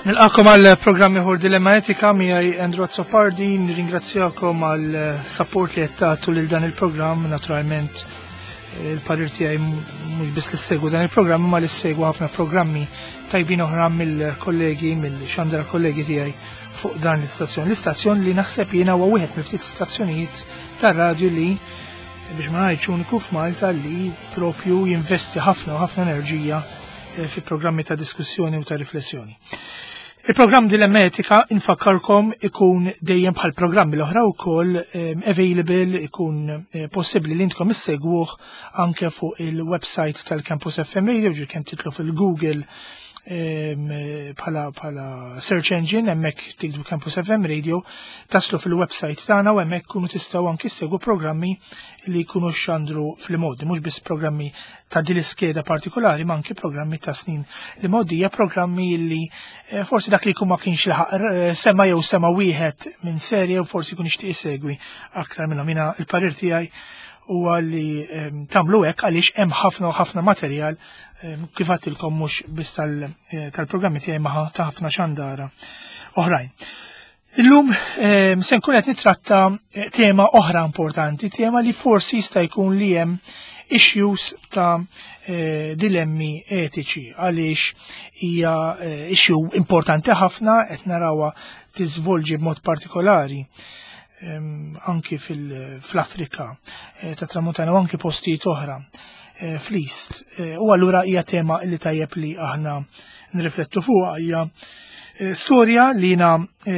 Nilqakom għal programm ieħor Dilemma Etika miegħi Andrew Azzopardi, nirringrazzjakom għal support li qed tagħtu lil dan il-programm, naturalment il-parir tiegħi mhux biss li ssegwu dan il-programm imma li ssegwu ħafna programmi tajbin oħra mill-kollegi, mill-xandra kollegi tiegħi fuq dan l-istazzjon. L-istazzjon li naħseb jiena huwa wieħed mill-ftit stazzjonijiet tar-radju li biex ma ngħidx uniku f'Malta li propju jinvesti ħafna u ħafna enerġija eh, fi programmi ta' diskussjoni u ta' riflessjoni. Il-programm Dilemma Etika infakkarkom ikun dejjem bħal programmi l-oħra wkoll eh, available ikun eh, possibbli li intkom issegwuh anke fuq il-website tal-Campus FM Radio, ġir kemm titlu fil-Google bħala bħala search engine hemmhekk tikdu Campus FM Radio taslu fil-website tagħna u hemmhekk kunu tistgħu anki ssegwu programmi li jkunu xandru fl-modi, mhux biss programmi ta' din l-iskeda partikolari, ma anki programmi ta' snin li mgħoddija, programmi li eh, forsi dak li jkun ma kienx laħaq eh, sema jew sema wieħed minn serje u forsi jkun jixtieq isegwi aktar minnhom. Jiena il-parir tiegħi huwa li ehm, tagħmlu hekk għaliex hemm ħafna u ħafna materjal ehm, kif għadtilkom mhux biss eh, tal-programmi tiegħi ma ta' ħafna xandara oħrajn. Illum ehm, se nkun qed nitratta eh, tema oħra importanti, tema li forsi jista' jkun li hemm issues ta' eh, dilemmi etiċi għaliex hija issue importanti ħafna qed narawha tiżvolġi b'mod partikolari anki fl-Afrika eh, ta' Tramuntana u anki postijiet oħra eh, fl-East. Eh, u allura hija tema li tajjeb li aħna nirriflettu fuqha hija storja li jina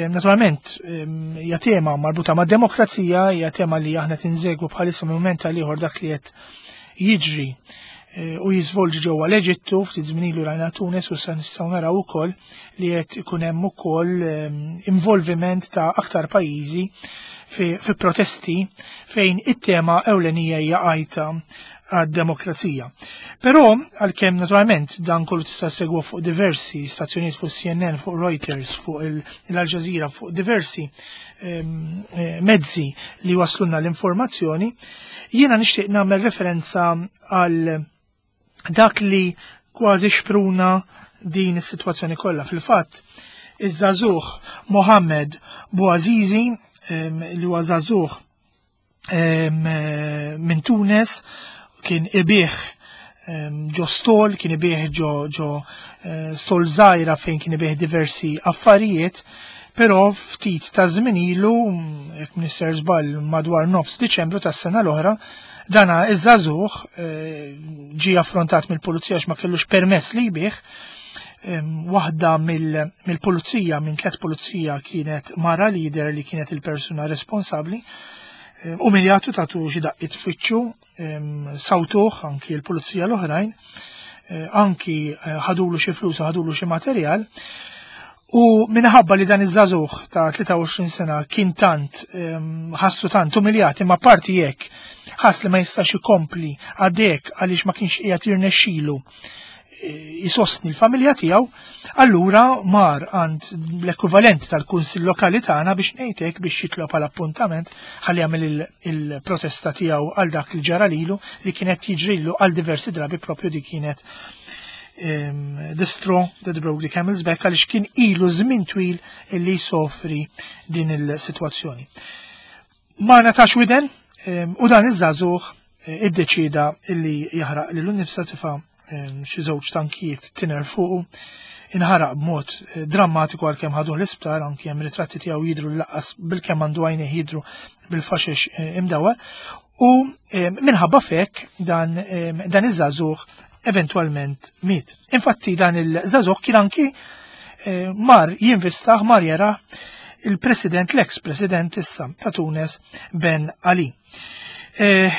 naturalment hija tema marbuta ma' demokrazija, hija tema li aħna tinżegwu bħalissa minn tal ieħor dak li qed jiġri u jiżvolġi ġewwa l-Eġittu, ftit żmien ilu rajna Tunis u sa nistgħu naraw ukoll li qed ikun hemm ukoll ehm, involviment ta' aktar pajjiżi fi, fi protesti fejn it-tema ewlenija hija għajta għad-demokrazija. Però għalkemm naturalment dan kollu tista' segwa fuq diversi stazzjonijiet fuq CNN, fuq Reuters, fuq l-Al Jazeera, fuq diversi ehm, eh, mezzi li waslunna l-informazzjoni, jiena nixtieq nagħmel referenza għal dak li kważi xpruna din is-sitwazzjoni kollha. Fil-fatt, iż-żagħżugħ Mohammed Bouazizi li huwa żagħżugħ minn Tunes kien ibih ġo stol, kien ibih ġo ġo eh, stol żgħira fejn kien ibih diversi affarijiet, però ftit ta' żmien ilu, jekk minister żball madwar nofs Diċembru tas-sena l-oħra, dana iż-żagħżugħ eh, ġie affrontat mill-pulizija għax ma kellux permess li jbih, waħda mill-pulizija, minn tlet pulizija kienet mara lider li kienet il-persuna responsabbli, umiljatu tatu xi daqqiet f'wiċċu, sawtuh anki l-pulizija l-oħrajn, eh, anki eh, ħadulu xi flus u ħadulu xi materjal. U minħabba li dan iż-żagħżugħ ta' 23 sena kien tant ħassu tant umiljat imma parti jekk ħass li ma jistax ikompli għadek għaliex ma kienx qiegħed jirnexxilu jisostni l-familja tiegħu, allura mar għand l-ekwivalent tal-Kunsill Lokali tagħna biex ngħidlek biex jitlob għal appuntament ħalli jagħmel il-protesta tiegħu għal dak li ġara lilu li kienet jiġrilu għal diversi drabi propju di kienet ehm, the straw that broke the camel's back għaliex kien ilu żmien twil li jsofri din il-sitwazzjoni. Ma natax widen ehm, u dan iż-żagħżugħ eh, iddeċida illi jaħraq lilu nnifsa tifa' ehm, xi żewġ tankijiet tiner fuqu inħaraq b'mod eh, drammatiku għalkemm ħaduh l-isptar anki hemm ritratti tiegħu jidru laqqas bilkemm għandu għajnejh jidru bil-faxex eh, imdawar u ehm, minħabba fek dan, ehm, dan iż-żagħżugħ eventwalment miet. Infatti dan il-żagħżugħ kien anki eh, mar jinvistaħ mar jara il-president, l-ex-president issa ta' Tunes Ben Ali. Eh,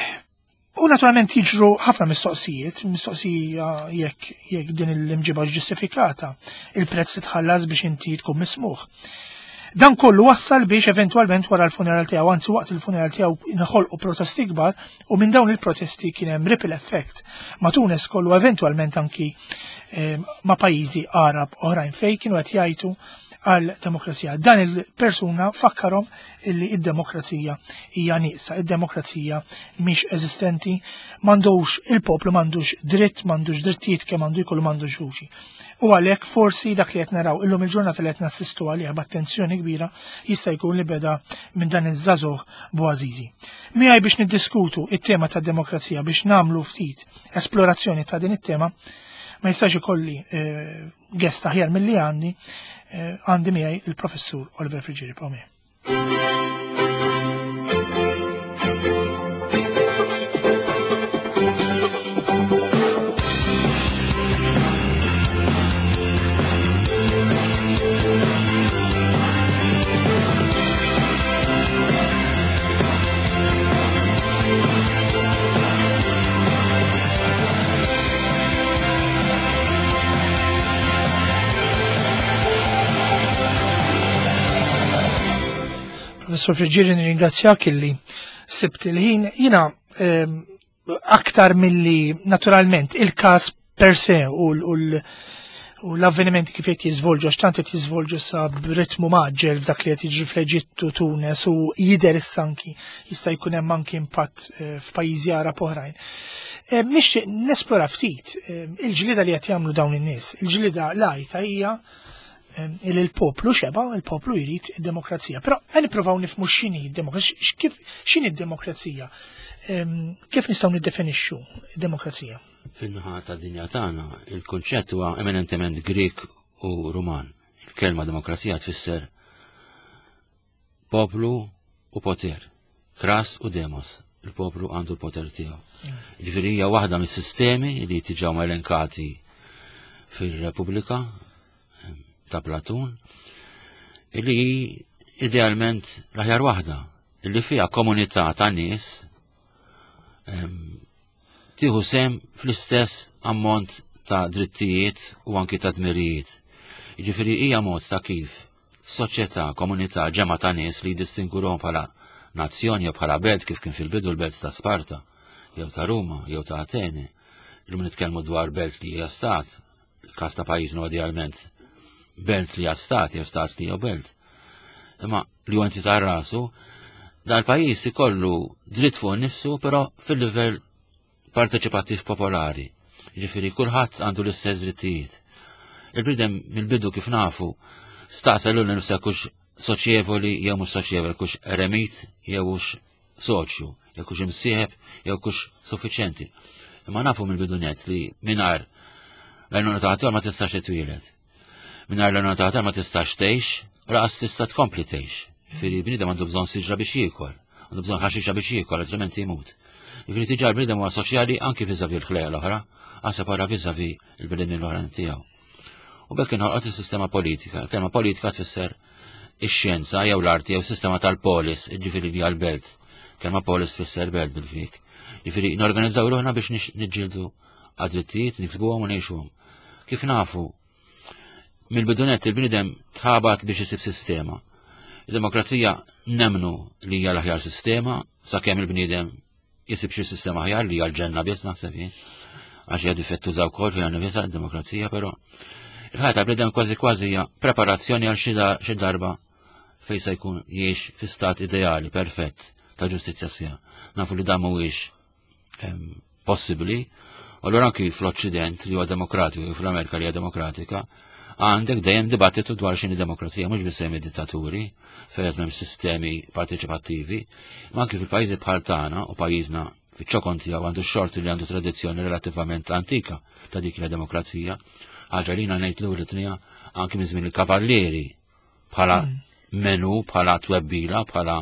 u naturalment jiġru ħafna mistoqsijiet, mistoqsija jekk jekk din l-imġiba ġustifikata, il-prezz li tħallas biex inti tkun mismuħ. Dan kollu wassal biex eventwalment wara l-funeral tiegħu, anzi waqt il-funeral tiegħu inħolqu protesti kbar u minn dawn il-protesti kien hemm ripple effect ma' Tunes kollu eventwalment anki eh, ma' pajjiżi Arab oħrajn fejn kienu qed jgħidu għal demokrazija. Dan il-persuna fakkarhom illi id-demokrazija hija nieqsa, id-demokrazija mhix eżistenti, m'għandux il-poplu m'għandux dritt, m'għandux drittijiet kemm għandu jkollu m'għandux vuċi. U għalhekk forsi dak li qed naraw illum il-ġurnata li qed nassistu għaliha b'attenzjoni kbira jista' jkun li beda minn dan iż-żagħżugħ Bouazizi. Miegħi biex niddiskutu it-tema tad-demokrazija biex nagħmlu ftit esplorazzjoni ta' din it-tema ma jistax ikolli eh, guest aħjar milli għandi eh, għandi miegħi il-professur Oliver Friggieri Pome. Professor Friggieri, nirringrazzjak illi sibt il-ħin. Jina ehm, aktar milli naturalment il-każ per se u l-avvenimenti kif qed jiżvolġu għax tant qed jiżvolġu sa b'ritmu maġġel f'dak li qed jiġri fl-Eġittu, Tunes u jidher issa anki jista' jkun hemm anki impatt eh, f'pajjiżi Arab oħrajn. Eh, nixtieq nesplora ftit eh, il-ġlieda li qed jagħmlu dawn in-nies. Il-ġlieda lajta hija il il-poplu xeba, il-poplu jrid id-demokrazija. Però għan nippruvaw nifmu x'inhi d-demokrazija, kif x'inhi d-demokrazija, kif nistgħu niddefinixxu d-demokrazija? Fin-naħa ta' dinja tagħna, il-kunċett huwa eminentement Grek u Ruman. Il-kelma demokrazija tfisser poplu u poter, kras u demos. Il-poplu għandu l-poter tiegħu. Ġifieri hija waħda mis-sistemi li tiġaw elenkati fir-Repubblika ta' Platun, illi idealment l-aħjar waħda, illi fiha komunità ta' nies tieħu sem fl-istess ammont ta' drittijiet u anki ta' dmirijiet. Jiġifieri hija mod ta' kif soċjetà, komunità, ġemgħa ta' nies li jiddistingwuhom bħala nazzjon jew bħala belt kif kien fil-bidu l-belt ta' Sparta, jew ta' Ruma, jew ta' Atene. Illum nitkellmu dwar belt li hija stat, il-każ ta' pajjiżna idealment belt li hija stat jew stat li hija belt. Imma li huwa entità rasu, dal-pajjiż ikollu dritt fuq nifsu, però fil-livell parteċipattiv popolari. Ġifieri kulħadd għandu l-istess drittijiet. Il-bniedem mill-bidu kif nafu staqsa lil nifsa kux soċjevoli jew mhux soċjevoli, kux eremit jew hux soċju, jew kux imsieħeb jew kux suffiċjenti. Imma nafu mill-bidu net li mingħajr l-għajnuna ta' ma tistax titwieled. Mingħajr l-għajnuna ta' ma tistax tgħix, laqas tista' tkompli tgħix. Ġifieri bniedem għandu bżonn siġra biex jiekol, għandu bżonn ħaxixa biex jiekol, altrimenti jmut. Ġifieri tiġa l-bniedem huwa soċjali anki viżavi l-ħlejja l-oħra, għasab wara viżavi l-bnedmin l-oħra tiegħu. U bekk inħolqot is-sistema politika. Kelma politika tfisser ix-xjenza jew l-arti jew sistema tal-polis, ġifieri li għal-belt. Kelma polis tfisser belt bil-Grik. Ġifieri norganizzaw ruħna biex niġġieldu għad-drittijiet, niksbuhom u ngħixuhom. Kif nafu, mill-bidunet il-bniedem tħabat biex isib sistema. Il-demokrazija nemnu li hija l-aħjar sistema sakemm il-bniedem jisib xi sistema aħjar li hija l-ġenna biss naħseb jien. Għax hija difettuża wkoll fiha nifisha d-demokrazija, però il-ħajja tal-bniedem kważi kważi hija preparazzjoni għal xi darba fejn se jkun jgħix fi stat ideali perfett ta' ġustizzja sija. Nafu li dan mhuwiex possibbli. U allura anki fl-Occident li huwa demokratiku, fl-Amerika li hija demokratika, għandek dejjem dibattitu dwar x'inhi demokrazija, mhux biss hemm dittaturi fejn qed m'hemm sistemi parteċipattivi, ma anki fil-pajjiżi bħal tagħna u pajjiżna fiċ-ċokon tiegħu għandu x-xorti li għandu tradizzjoni relattivament antika ta' dik la demokrazija, ħaġa li ngħid l tnija anki minn żmien il-kavallieri bħala mm. menu, bħala twebbila, bħala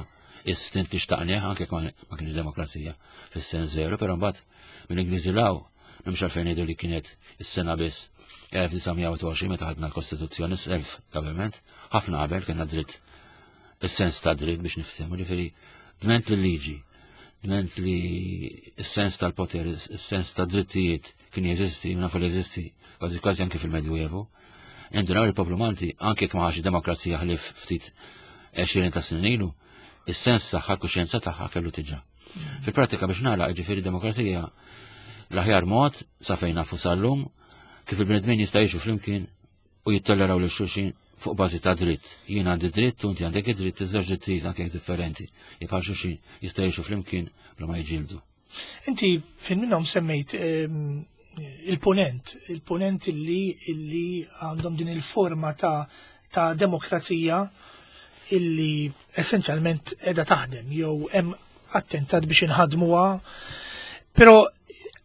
istint li xtaqnieh, anke ma kienx demokrazija fis-sens veru, però mbagħad mill-Ingliżi law m'hemmx għalfejn ngħidu li kienet is-sena biss 1920 meta ħadna l-Kostituzzjoni self government, ħafna qabel kellna dritt is-sens ta' dritt biex niftehmu, ġifieri dment li liġi, dment li s-sens tal-poter, is-sens ta' drittijiet kien jeżisti, nafu li jeżisti kważi kważi anke fil-Medjuevu. Indunaw il-poplu Malti anke jekk ma ħax demokrazija ħlief ftit 20 ta' snin ilu, is-sens tagħha, l-kuxjenza tagħha kellu tiġa. Fil-pratika biex nagħlaq ġifieri demokrazija l-aħjar mod sa fejn nafu sal-lum kif il-bnedmin jista' jgħixu flimkien u jittolleraw lil xulxin fuq bażi ta' dritt. Jien għandi dritt u inti għandek id-dritt, iż-żewġ drittijiet anke differenti. Jibħal xulxin jista' jgħixu flimkien bla ma jiġildu. Inti fin minnhom semmejt ehm, il-ponent, il-ponent illi illi għandhom din il-forma ta' ta' demokrazija illi essenzjalment edha taħdem jew hemm attentat biex inħadmuha. Però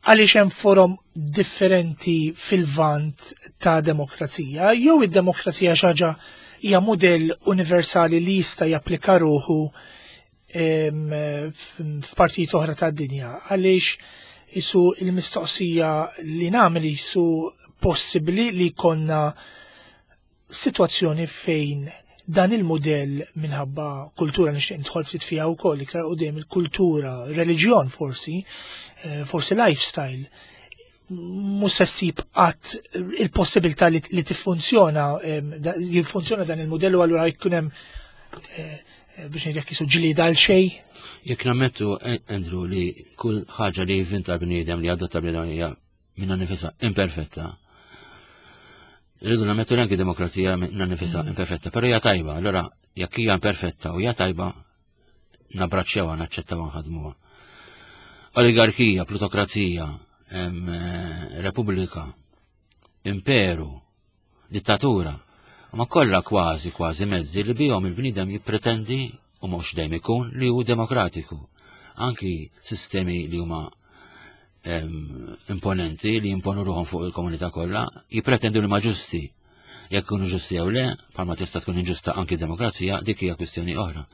għaliex hemm forom differenti fil-vant ta' demokrazija, jew id-demokrazija xaġa hija mudell universali li jista' japplika ruħu f'partijiet oħra tad-dinja. Għaliex isu il-mistoqsija li nagħmel isu possibbli li konna sitwazzjoni fejn dan il-mudell minħabba kultura nixtieq nidħol ftit fiha wkoll iktar qudiem il-kultura, reliġjon forsi, eh, forsi lifestyle, mhux se ssib qatt il-possibilità li, li tiffunzjona, jiffunzjona dan il-mudell u allura jkun hemm eh, biex ngħidlek jisu ġlieda għal xejn. Jekk nammettu Andrew li kull ħaġa li jivvinta bniedem li adotta bniedem hija minna nifisha imperfetta. Rridu nammettu anki demokrazija minna nifisha mm. imperfetta, però hija tajba. Allora jekk hija imperfetta u hija tajba, nabraċċewha, naċċettawha nħadmuha. Oligarkija, plutokrazija, eh, repubblika, imperu, dittatura, ma kollha kważi kważi mezzi li bihom il-bniedem jippretendi u mhux dejjem ikun li hu demokratiku. Anki sistemi li huma imponenti li jimponu ruħhom fuq il-komunità kollha, jippretendu li ma ġusti. Jekk ikunu ġusti jew le, bħalma tista' tkun inġusta anki demokrazija, dik hija kwistjoni oħra.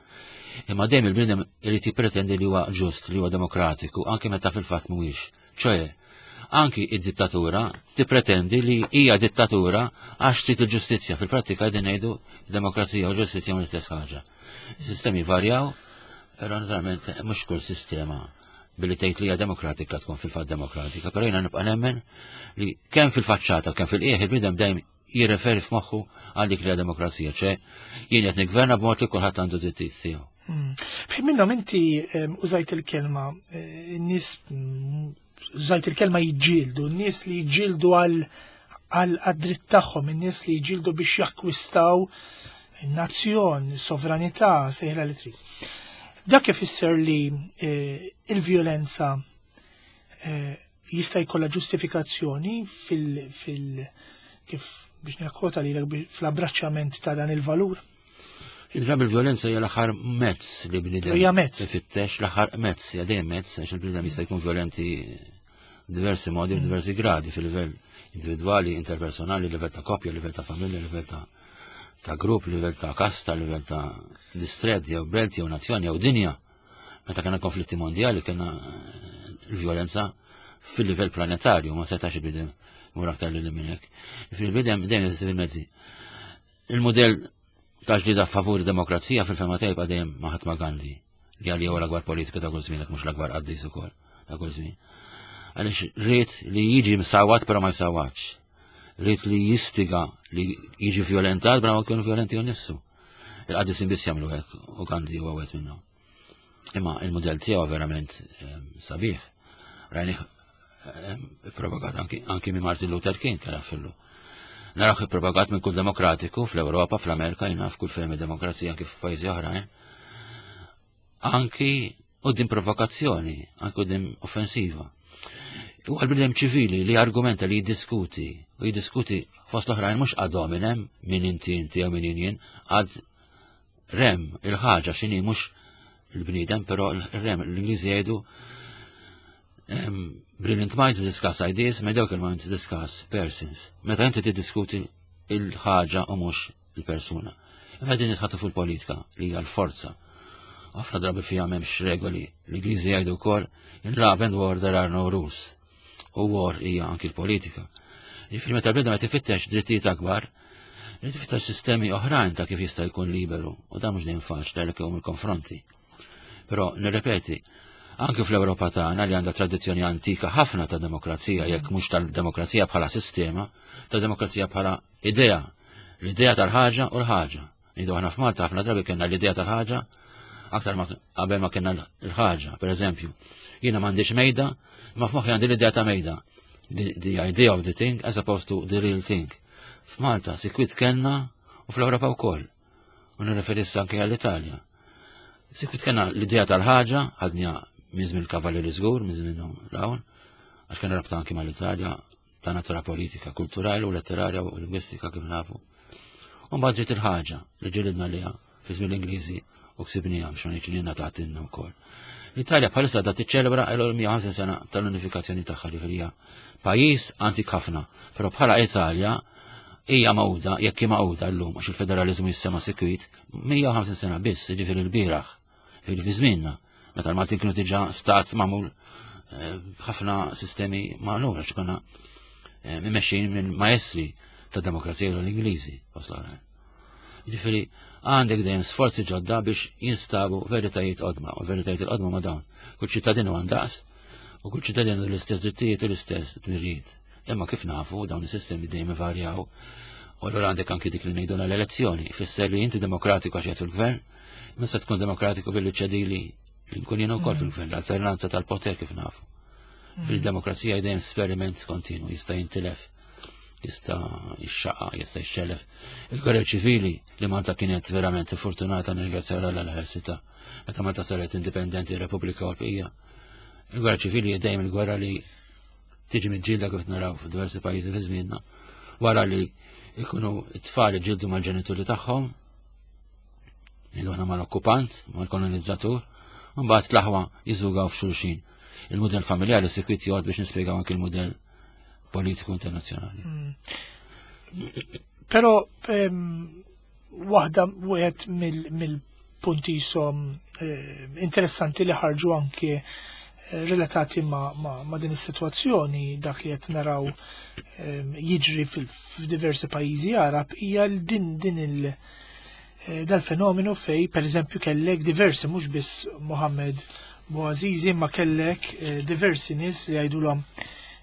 Imma dejjem il-bniedem irid jippretendi li huwa ġust, li huwa demokratiku, anki meta fil-fatt mhuwiex. ċoe, anki id-dittatura tippretendi li hija dittatura għax trid il-ġustizzja. Fil-prattika qegħdin ngħidu demokrazija u ġustizzja mhux l-istess ħaġa. Sistemi varjaw, però naturalment mhux kull sistema billi tgħid li hija demokratika tkun fil-fatt demokratika, però jiena nibqa' nemmen li kemm fil-faċċata kemm fil-qiegħ il-bniedem dejjem jirreferi f'moħħu għal dik li hija demokrazija, ċe jien qed niggverna b'mod li kulħadd għandu drittijiet tiegħu. Hmm. F'ħin minnhom inti użajt il-kelma eh, nies mm, użajt il-kelma jiġġieldu, nies li jiġġieldu għal għad-dritt tagħhom, in-nies li jiġġieldu biex jakkwistaw nazzjon, sovranità, sejħla li trid. Dak ifisser li eh, il-vjolenza eh, jista' jkollha ġustifikazzjoni fil, fil kif biex nekkwota lilek fl-abbraċċament ta' dan il-valur. Id-drabi il-violenza hija l-aħħar mezz li bniedem. Hija mezz. Ifittex l-aħħar mezz, hija dejjem mezz għax il-bniedem jista' jkun violenti diversi modi, diversi gradi fil-livell individwali, interpersonali, livell ta' koppja, livell ta' familja, livell ta' ta' grupp, livell ta' kasta, livell ta' distret, jew belt, jew nazzjon, jew dinja. Meta kena konflitti mondjali kena eh, l-violenza fil-livell planetarju, ma setax il-bidem mur aktar li minn hekk. Fil-bidem dejjem fil-mezzi. Il-modell ta' ġdida favur demokrazija fil-fema tiegħi jibqa' dejjem Mahatma Gandhi li għalli huwa l-akbar politiku ta' kull żmien mhux l-akbar qaddis ukoll ta' kull żmien. Għaliex rrid li jiġi msawat però ma jsawatx. Rrid li jistiga li jiġi violentat bla ma jkunu violenti u nissu. Il-qaddisin biss jagħmlu hekk u Gandhi huwa wieħed minnhom. Imma il-mudell tiegħu verament ehm, sabiħ. Rajnih ehm, propagat anki minn Martin Luther King kien fillu. Naraw propagat minn kull demokratiku fl-Ewropa, fl-Amerika, jina f'kull fejn demokrazija anki f'pajjiżi oħrajn. Anki qudiem provokazzjoni, anki qudiem offensiva. U għal-bnedem ċivili li argumenta li jiddiskuti, u jiddiskuti fost l-oħrajn mhux ad hominem min inti inti jew min jien, għad rem il-ħaġa x'inhi mhux il-bniedem, però il-rem l-Ingliżi jgħidu brilliant minds discuss ideas, mediocre minds discuss persons. Meta inti tiddiskuti il-ħaġa u mhux il-persuna. Imma din nitħattu fuq il-politika li hija l-forza. Ħafna drabi fiha m'hemmx regoli. L-Ingliżi jgħidu wkoll in love and war there are no rules. U war hija anki l-politika. Ġifieri meta l-bnedem qed ifittex drittijiet akbar, irid ifittex sistemi oħrajn ta' kif jista' jkun liberu u dan mhux dejjem faċli għalhekk hemm il-konfronti. Però nirrepeti, anke fl-Ewropa tagħna li għandha tradizzjoni antika ħafna ta' demokrazija, jekk mhux tal-demokrazija bħala sistema, ta' demokrazija bħala idea, l-idea tal-ħaġa u l-ħaġa. Nidu aħna f'Malta ħafna drabi kellna l-idea tal-ħaġa aktar ma qabel ma kellna l-ħaġa. Per eżempju, jiena m'għandix mejda, ma f'moħħi għandi l-idea ta' mejda. The, the idea of the thing as opposed to the real thing. F'Malta sikwit kellna u U fl-Ewropa wkoll. U nirreferi issa anke għall-Italja. Sikwit kena l-idea tal-ħaġa, ħadnija minn żmien il-Kavallieri żgur, minn żmienhom l-hawn, għax kena rabta anke mal-Italja ta' natura politika, kulturali u letterarja u lingwistika kif nafu. U mbagħad ġiet il-ħaġa li ġilidna liha fi żmien l-Ingliżi u ksibniha biex ma ngħidx li ngħatatilna wkoll. L-Italja bħalissa da tiċċelebra l-150 sena tal-unifikazzjoni tagħha li hija pajjiż antik ħafna, però bħala Italja hija mawda, jekk hi mawda llum għax il-federaliżmu jissema sikwit, 150 sena biss, ġifieri l-bieraħ, ġifieri fi żmienna, meta l-Maltin kienu diġà stat magħmul eh, ħafna sistemi magħmul għax konna eh, mmexxin minn maestri ta' demokrazija l-Ingliżi, fost l-oħrajn. Ġifieri għandek dejjem sforzi ġodda biex jinstabu veritajiet qodma, u veritajiet il-qodma ma dawn. Kull ċittadin huwa ndaqs, u kull ċittadin għandu l-istess drittijiet u l-istess dmirijiet. Imma kif nafu dawn is-sistemi dejjem ivarjaw. U allura għandek anki dik li ngħidu l-elezzjoni, ifisser li inti demokratiku għax qiegħed fil-gvern, imma se tkun demokratiku billi ċedili li nkun jien ukoll fil-gvern, l-alternanza tal-poter kif nafu. Fil-demokrazija dejjem esperiment kontinu jista' jintilef jista' jixxaqa, jista' jxellef. Il-gwerra ċivili li Malta kienet verament fortunata nirringrazzja l ħelsita meta Malta saret indipendenti Repubblika Ewropea. Il-gwerra ċivili dejjem il-gwerra li tiġi miġġielda kif naraw f'diversi pajjiżi fi żmienna wara li jkunu t-tfal iġildu mal-ġenituri tagħhom, ngħidu aħna mal-okkupant, mal-kolonizzatur, u mbagħad l-aħwa jiżugaw f'xulxin. Il-mudell familjari sikwit jgħod biex nispjegaw anki l-mudell politiku internazzjonali. Mm. Però waħda wieħed mill-punti jisom eh, interessanti li ħarġu anke eh, relatati ma, ma, ma din is-sitwazzjoni dak li qed naraw jiġri f'diversi pajjiżi Arab hija din din il eh, dal-fenomenu fej per eżempju kellek diversi mhux biss Mohammed Bouazizi ma kellek eh, diversi nies li jgħidulhom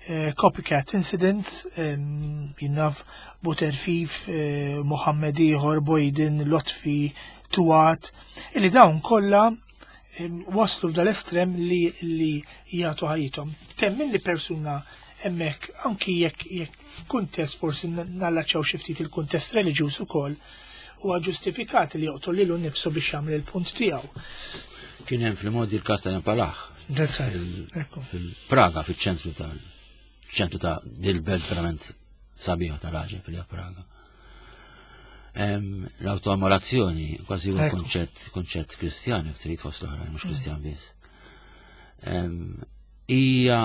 eh, copycat incidents jinnaf Buterfif, Mohammed ieħor, Boydin, Lotfi, Tuat, illi dawn kollha waslu f'dal-estrem li li jagħtu ħajjithom. Temmin li persuna hemmhekk anki jekk jekk f'kuntest forsi nallaċċaw xi ftit il-kuntest reliġjuż ukoll huwa ġustifikat li joqtol lilu nnifsu biex jagħmel il-punt tiegħu. Kien hemm fil-modi l-każ ta' Palaħ. Fil-Praga, fiċ-ċentru tal ċentru ta' dil-belt verament sabiħa tal-ħaġeb li Praga. L-autoammolazzjoni kważi huwa konċett konċett kristjan jekk trid fost l-oħrajn, mhux mm. kristjan biss. Hija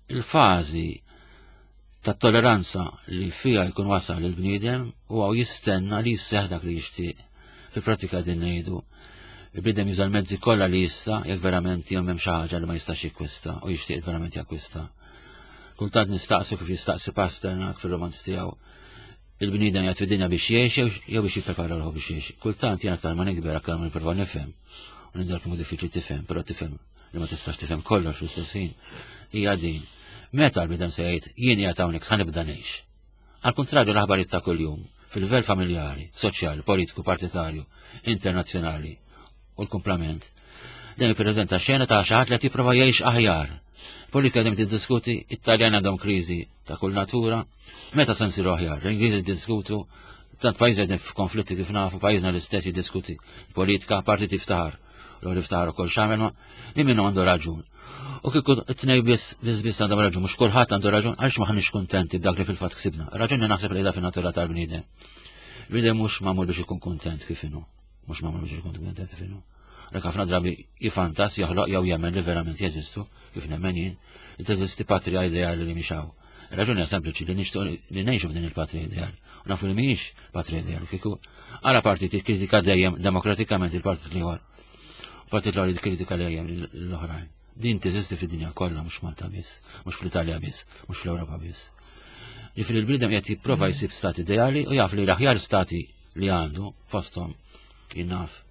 il-fażi ta' tolleranza li fija jkun wasal il-bniedem u għaw jistenna li jisseħ dak li jixtieq. Fil-pratika din ngħidu, il-bniedem juża l-mezzi kollha li jista' jekk verament jew hemm xi ħaġa li ma jistax jikkwista u jixtieq verament jakkwista. Kultant nistaqsu kif jistaqsi Pasternak fil-romanz tiegħu il-bniedem jgħid fid-dinja biex jgħix jew biex jipprepara ruħu biex jgħix. Kultant jien aktar ma nikber aktar ma nipprova nifhem. U nidher kemm diffiċli tifhem, però tifhem li ma tistax tifhem kollox fl-istess ħin. Hija din. Meta l-bniedem se jgħid jien qiegħed hawnhekk ħa nibda ngħix. Għal kuntrarju l-aħbarijiet ta' kuljum, fil-livell familjari, soċjali, politiku, partitarju, internazzjonali u l-kumplament, dan jippreżenta xena ta' xi ħadd li qed jipprova jgħix aħjar. Politika dejjem tiddiskuti, it-Taljan għandhom kriżi ta' kull natura, meta se nsiru aħjar? L-Ingliżi jiddiskutu, tant pajjiżi qegħdin f'konflitti kif nafu, pajjiżna l-istess jiddiskuti politika, parti tiftaħar. L iftaħar ukoll x'għamel ma li minnu għandu raġun. U kieku t-tnej biss biss biss għandhom raġun, mhux kulħadd għandu raġun għaliex maħniex kuntenti b'dak li fil-fatt ksibna. Raġuni naħseb li da fin-natura tal-bniedem. Bniedem mhux magħmul biex ikun kuntent kif inhu. Mhux magħmul biex ikun kuntent kif inhu. Rek ħafna drabi jifantas joħloq jew jemmen li verament jeżistu, kif nemmen jien, li teżisti patrija ideali li mhix hawn. Raġuni hija sempliċi li nixtieq li ngħixu f'din il-patrija ideali. U nafu li mhijiex patrija ideali. Kieku għala partit jikkritika dejjem demokratikament il-partit l-ieħor. Partit l-ieħor jikkritika dejjem l-oħrajn. Din teżisti fid-dinja kollha mhux Malta biss, mhux fl-Italja biss, mhux fl-Ewropa biss. Ġifieri l-bniedem qed jipprova jsib stat ideali u jaf li l-aħjar stati li għandu fosthom jinnaf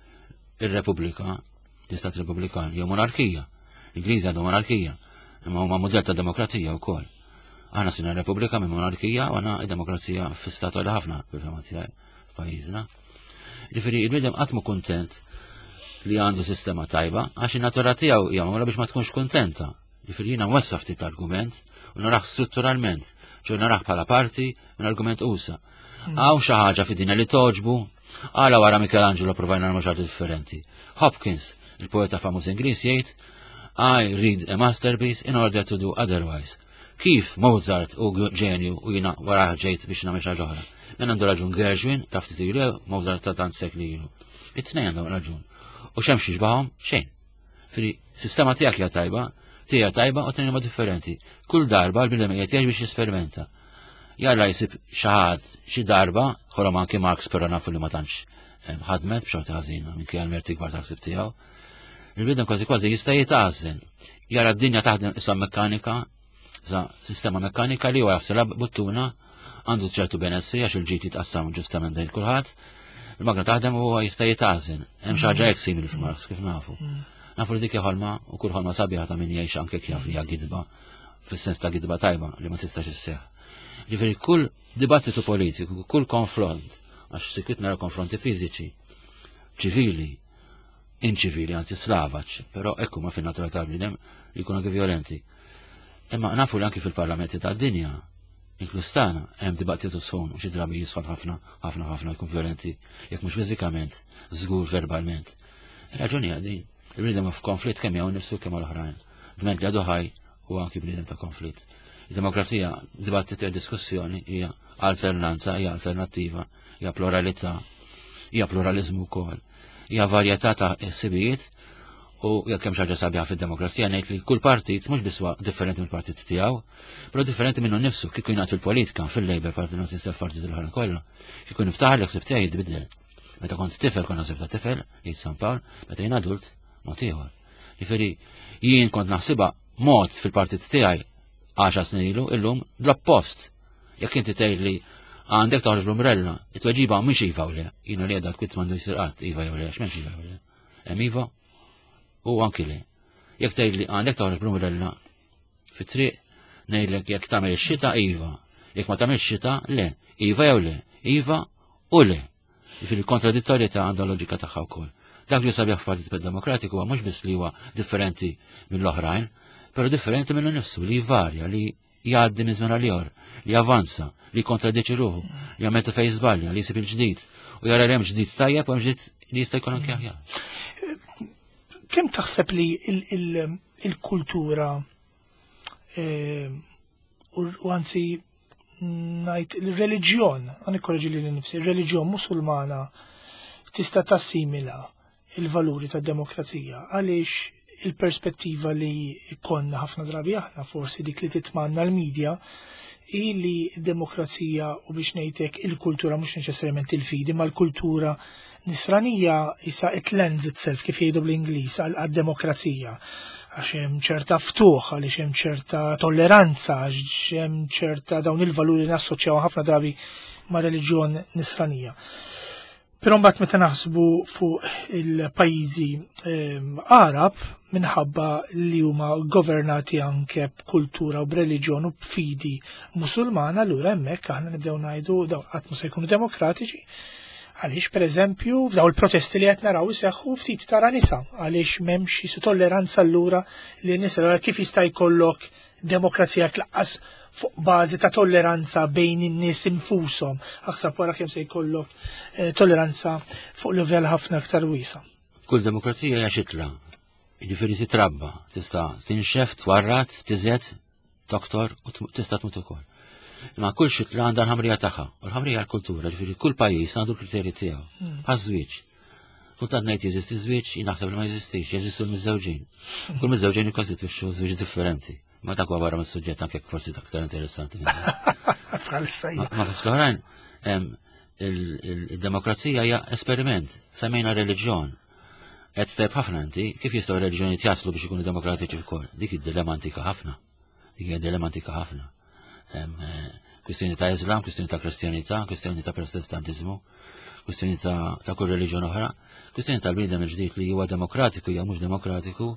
ir-Repubblika, l-Istat Repubblikan, jew monarkija. L-Ingliżi għandu monarkija, imma huma mudell ta' demokrazija wkoll. Aħna sina Repubblika minn monarkija u għandna demokrazija fi-stat għali ħafna fil-fema tiegħi f'pajjiżna. Ġifieri il-bniedem qatt mu kuntent li għandu sistema tajba għax in-natura tiegħu hija magħmula biex ma tkunx kuntenta. Ġifieri jiena nwessa' ftit l-argument u narah strutturalment, ċoè narah bħala parti minn argument usa. Hmm. Hawn xi ħaġa fid-dinja li toġbu, għala wara Michelangelo provajna nagħmlu xi differenti. Hopkins, il-poeta famuż Ingliż jgħid, I read a masterpiece in order to do otherwise. Kif Mozart u ġenju u jina wara ġejt biex nagħmel xi ħaġa oħra. Min għandu raġun Gershwin ta' ftit ilu, Mozart ta' tant sekli ilu. It-tnejn għandhom raġun. U x'hemm xi Xejn. Firi, sistema tiegħek hija tajba, tiegħi tajba u tnejn huma differenti. Kull darba l-bniedem qiegħed jgħix biex jesperimenta. Jalla jsib xi ħadd xi darba, ħolom anki Marx però nafu li ma tantx eh, ħadmet b'xorta ħażina minkejja l-merti kbar tal-ħsieb tiegħu. Il-bniedem kważi kważi jista' jitgħażel. Jara d-dinja taħdem issa mekkanika, sa sistema mekkanika li huwa jafsilha buttuna għandu ċertu benessri għax il-ġid jitqassam ġustament bejn kulħadd. Il-magna taħdem u huwa jista' jitgħażel. Hemm xi ħaġa hekk simili f'Marx kif nafu. Mm. Nafu li dik ħolma u kull ħolma sabiħa ta' min jgħix anke jaf li hija gidba fis-sens ta' gidba tajba li ma tistax isseħħ. Ġifieri kull dibattitu politiku, kull konfront, għax sikwit nara konfronti fiżiċi, ċivili, inċivili, anzi slavaċ, però ekku ma fin-natura tal-bniedem li jkunu anke violenti. Imma nafu li anki fil-parlamenti tad-dinja, inkluż tagħna, hemm dibattitu sħun u xi drabi jisħon ħafna, ħafna, ħafna jkun violenti, jekk mhux fiżikament, żgur verbalment. Raġuni għadi, il-bniedem f'konflitt kemm jew nifsu kemm l-oħrajn. Dment li għadu ħaj u anki bniedem ta' konflitt. Il-demokrazija, dibattitu e diskussjoni hija alternanza, hija alternattiva, hija pluralità, hija pluralizmu wkoll hija varjetà ta' ħsibijiet u jekk hemm xi ħaġa sabiħa fid-demokrazija ngħid li kull partit mhux biss huwa differenti mill-partit tiegħu, però differenti minnu nnifsu kieku jingħad fil-politika, fil-Labour Party Nazista f'partit l-oħra kollha. Kieku niftaħar li ħsib tiegħi jitbiddel. Meta kont tifel kont naħseb ta' tifel, jgħid San Pawl, meta jien adult, mod ieħor. Jiġifieri jien kont naħsibha mod fil-partit tiegħi 10 snin ilu, illum l-oppost. Jekk inti tgħid li għandek toħroġ l-umbrella, it-tweġiba mhix iva u le. Jiena li għedha kwit m'għandu jsir qatt iva jew le, x'm'hemmx iva jew le. Hemm iva u anki le. Jekk tgħid li għandek toħroġ l-umbrella fit-triq, ngħidlek jekk tagħmel ix-xita iva, jekk ma tagħmel xita le, iva jew le, iva u le. Jiġifieri kontradittorjetà għandha loġika tagħha wkoll. Dak li sabiħ f'Partit Demokratiku huwa mhux biss li huwa differenti mill-oħrajn, però differenti minnu nifsu li jvarja, li jgħaddi minn żmien għal ieħor, li javanza, li jkontradiċi ruħu, li jammetti fejn żbalja, li jsib il-ġdid u jara li hemm ġdid tajjeb u hemm ġdid li jista' jkun anke aħjar. Kemm taħseb li il-kultura eh, u anzi ngħid il-reliġjon, għan ikkoreġi li nifsi, il-reliġjon musulmana tista' tassimila il-valuri tad-demokrazija għaliex il-perspettiva li konna ħafna drabi aħna forsi dik li titmanna l-medja hi li demokrazija u biex ngħidlek il-kultura mhux neċessarjament il-fidi ma l-kultura nisranija isa it lends itself kif jgħidu bl-Ingliż għad-demokrazija għax hemm ċerta ftuħ, għaliex hemm ċerta tolleranza, għax hemm ċerta dawn il-valuri nassoċjaw ħafna drabi ma' reliġjon nisranija. Però mbagħad meta naħsbu fuq il-pajjiżi Arab minħabba li huma governati anke b'kultura u b'reliġjon u b'fidi Musulmana, allura hemmhekk aħna nibdew ngħidu dawn qatt ma se jkunu demokratiċi. Għaliex pereżempju f'daw il-protesti li qed naraw iseħħu ftit tara nisa għaliex m'hemmx jisu tolleranza allura li nisa kif jista' jkollok demokrazija tlaqqas fuq bażi ta' tolleranza bejn in-nies infushom. Aħseb wara kemm se jkollok eh, tolleranza fuq livell ħafna aktar wiesa. Kull demokrazija hija xitla. Jiġifieri titrabba, tista' tinxef, twarrat, tiżed, toktor u tista' tmut ukoll. Imma kull xitla għandha l-ħamrija tagħha, u l-ħamrija l-kultura, ġifieri kull pajjiż għandu l-kriterji tiegħu. Hmm. Għaż-żwieġ. Kultant ngħid jeżisti żwieġ, jien naħseb li ma jeżistix, jeżistu l-miżżewġin. Kull miżżewġin jikkostitwixxu żwieġ differenti. Ma dak huwa barra mis-suġġett anke forsi aktar interessanti. Ma fost l-oħrajn, il-demokrazija hija esperiment, semmejna reliġjon. Qed tajb ħafna inti, kif jistgħu reliġjonijiet jaslu biex ikunu demokratiċi wkoll? Dik id-dilemma antika ħafna. Dik hija dilemma antika ħafna. Eh, kwistjoni ta' Islam, kwistjoni ta' Kristjanità, kwistjoni ta' Protestantiżmu, kwistjoni ta', ta kull reliġjon oħra, kwistjoni tal-bniedem il-ġdid li huwa demokratiku jew mhux demokratiku,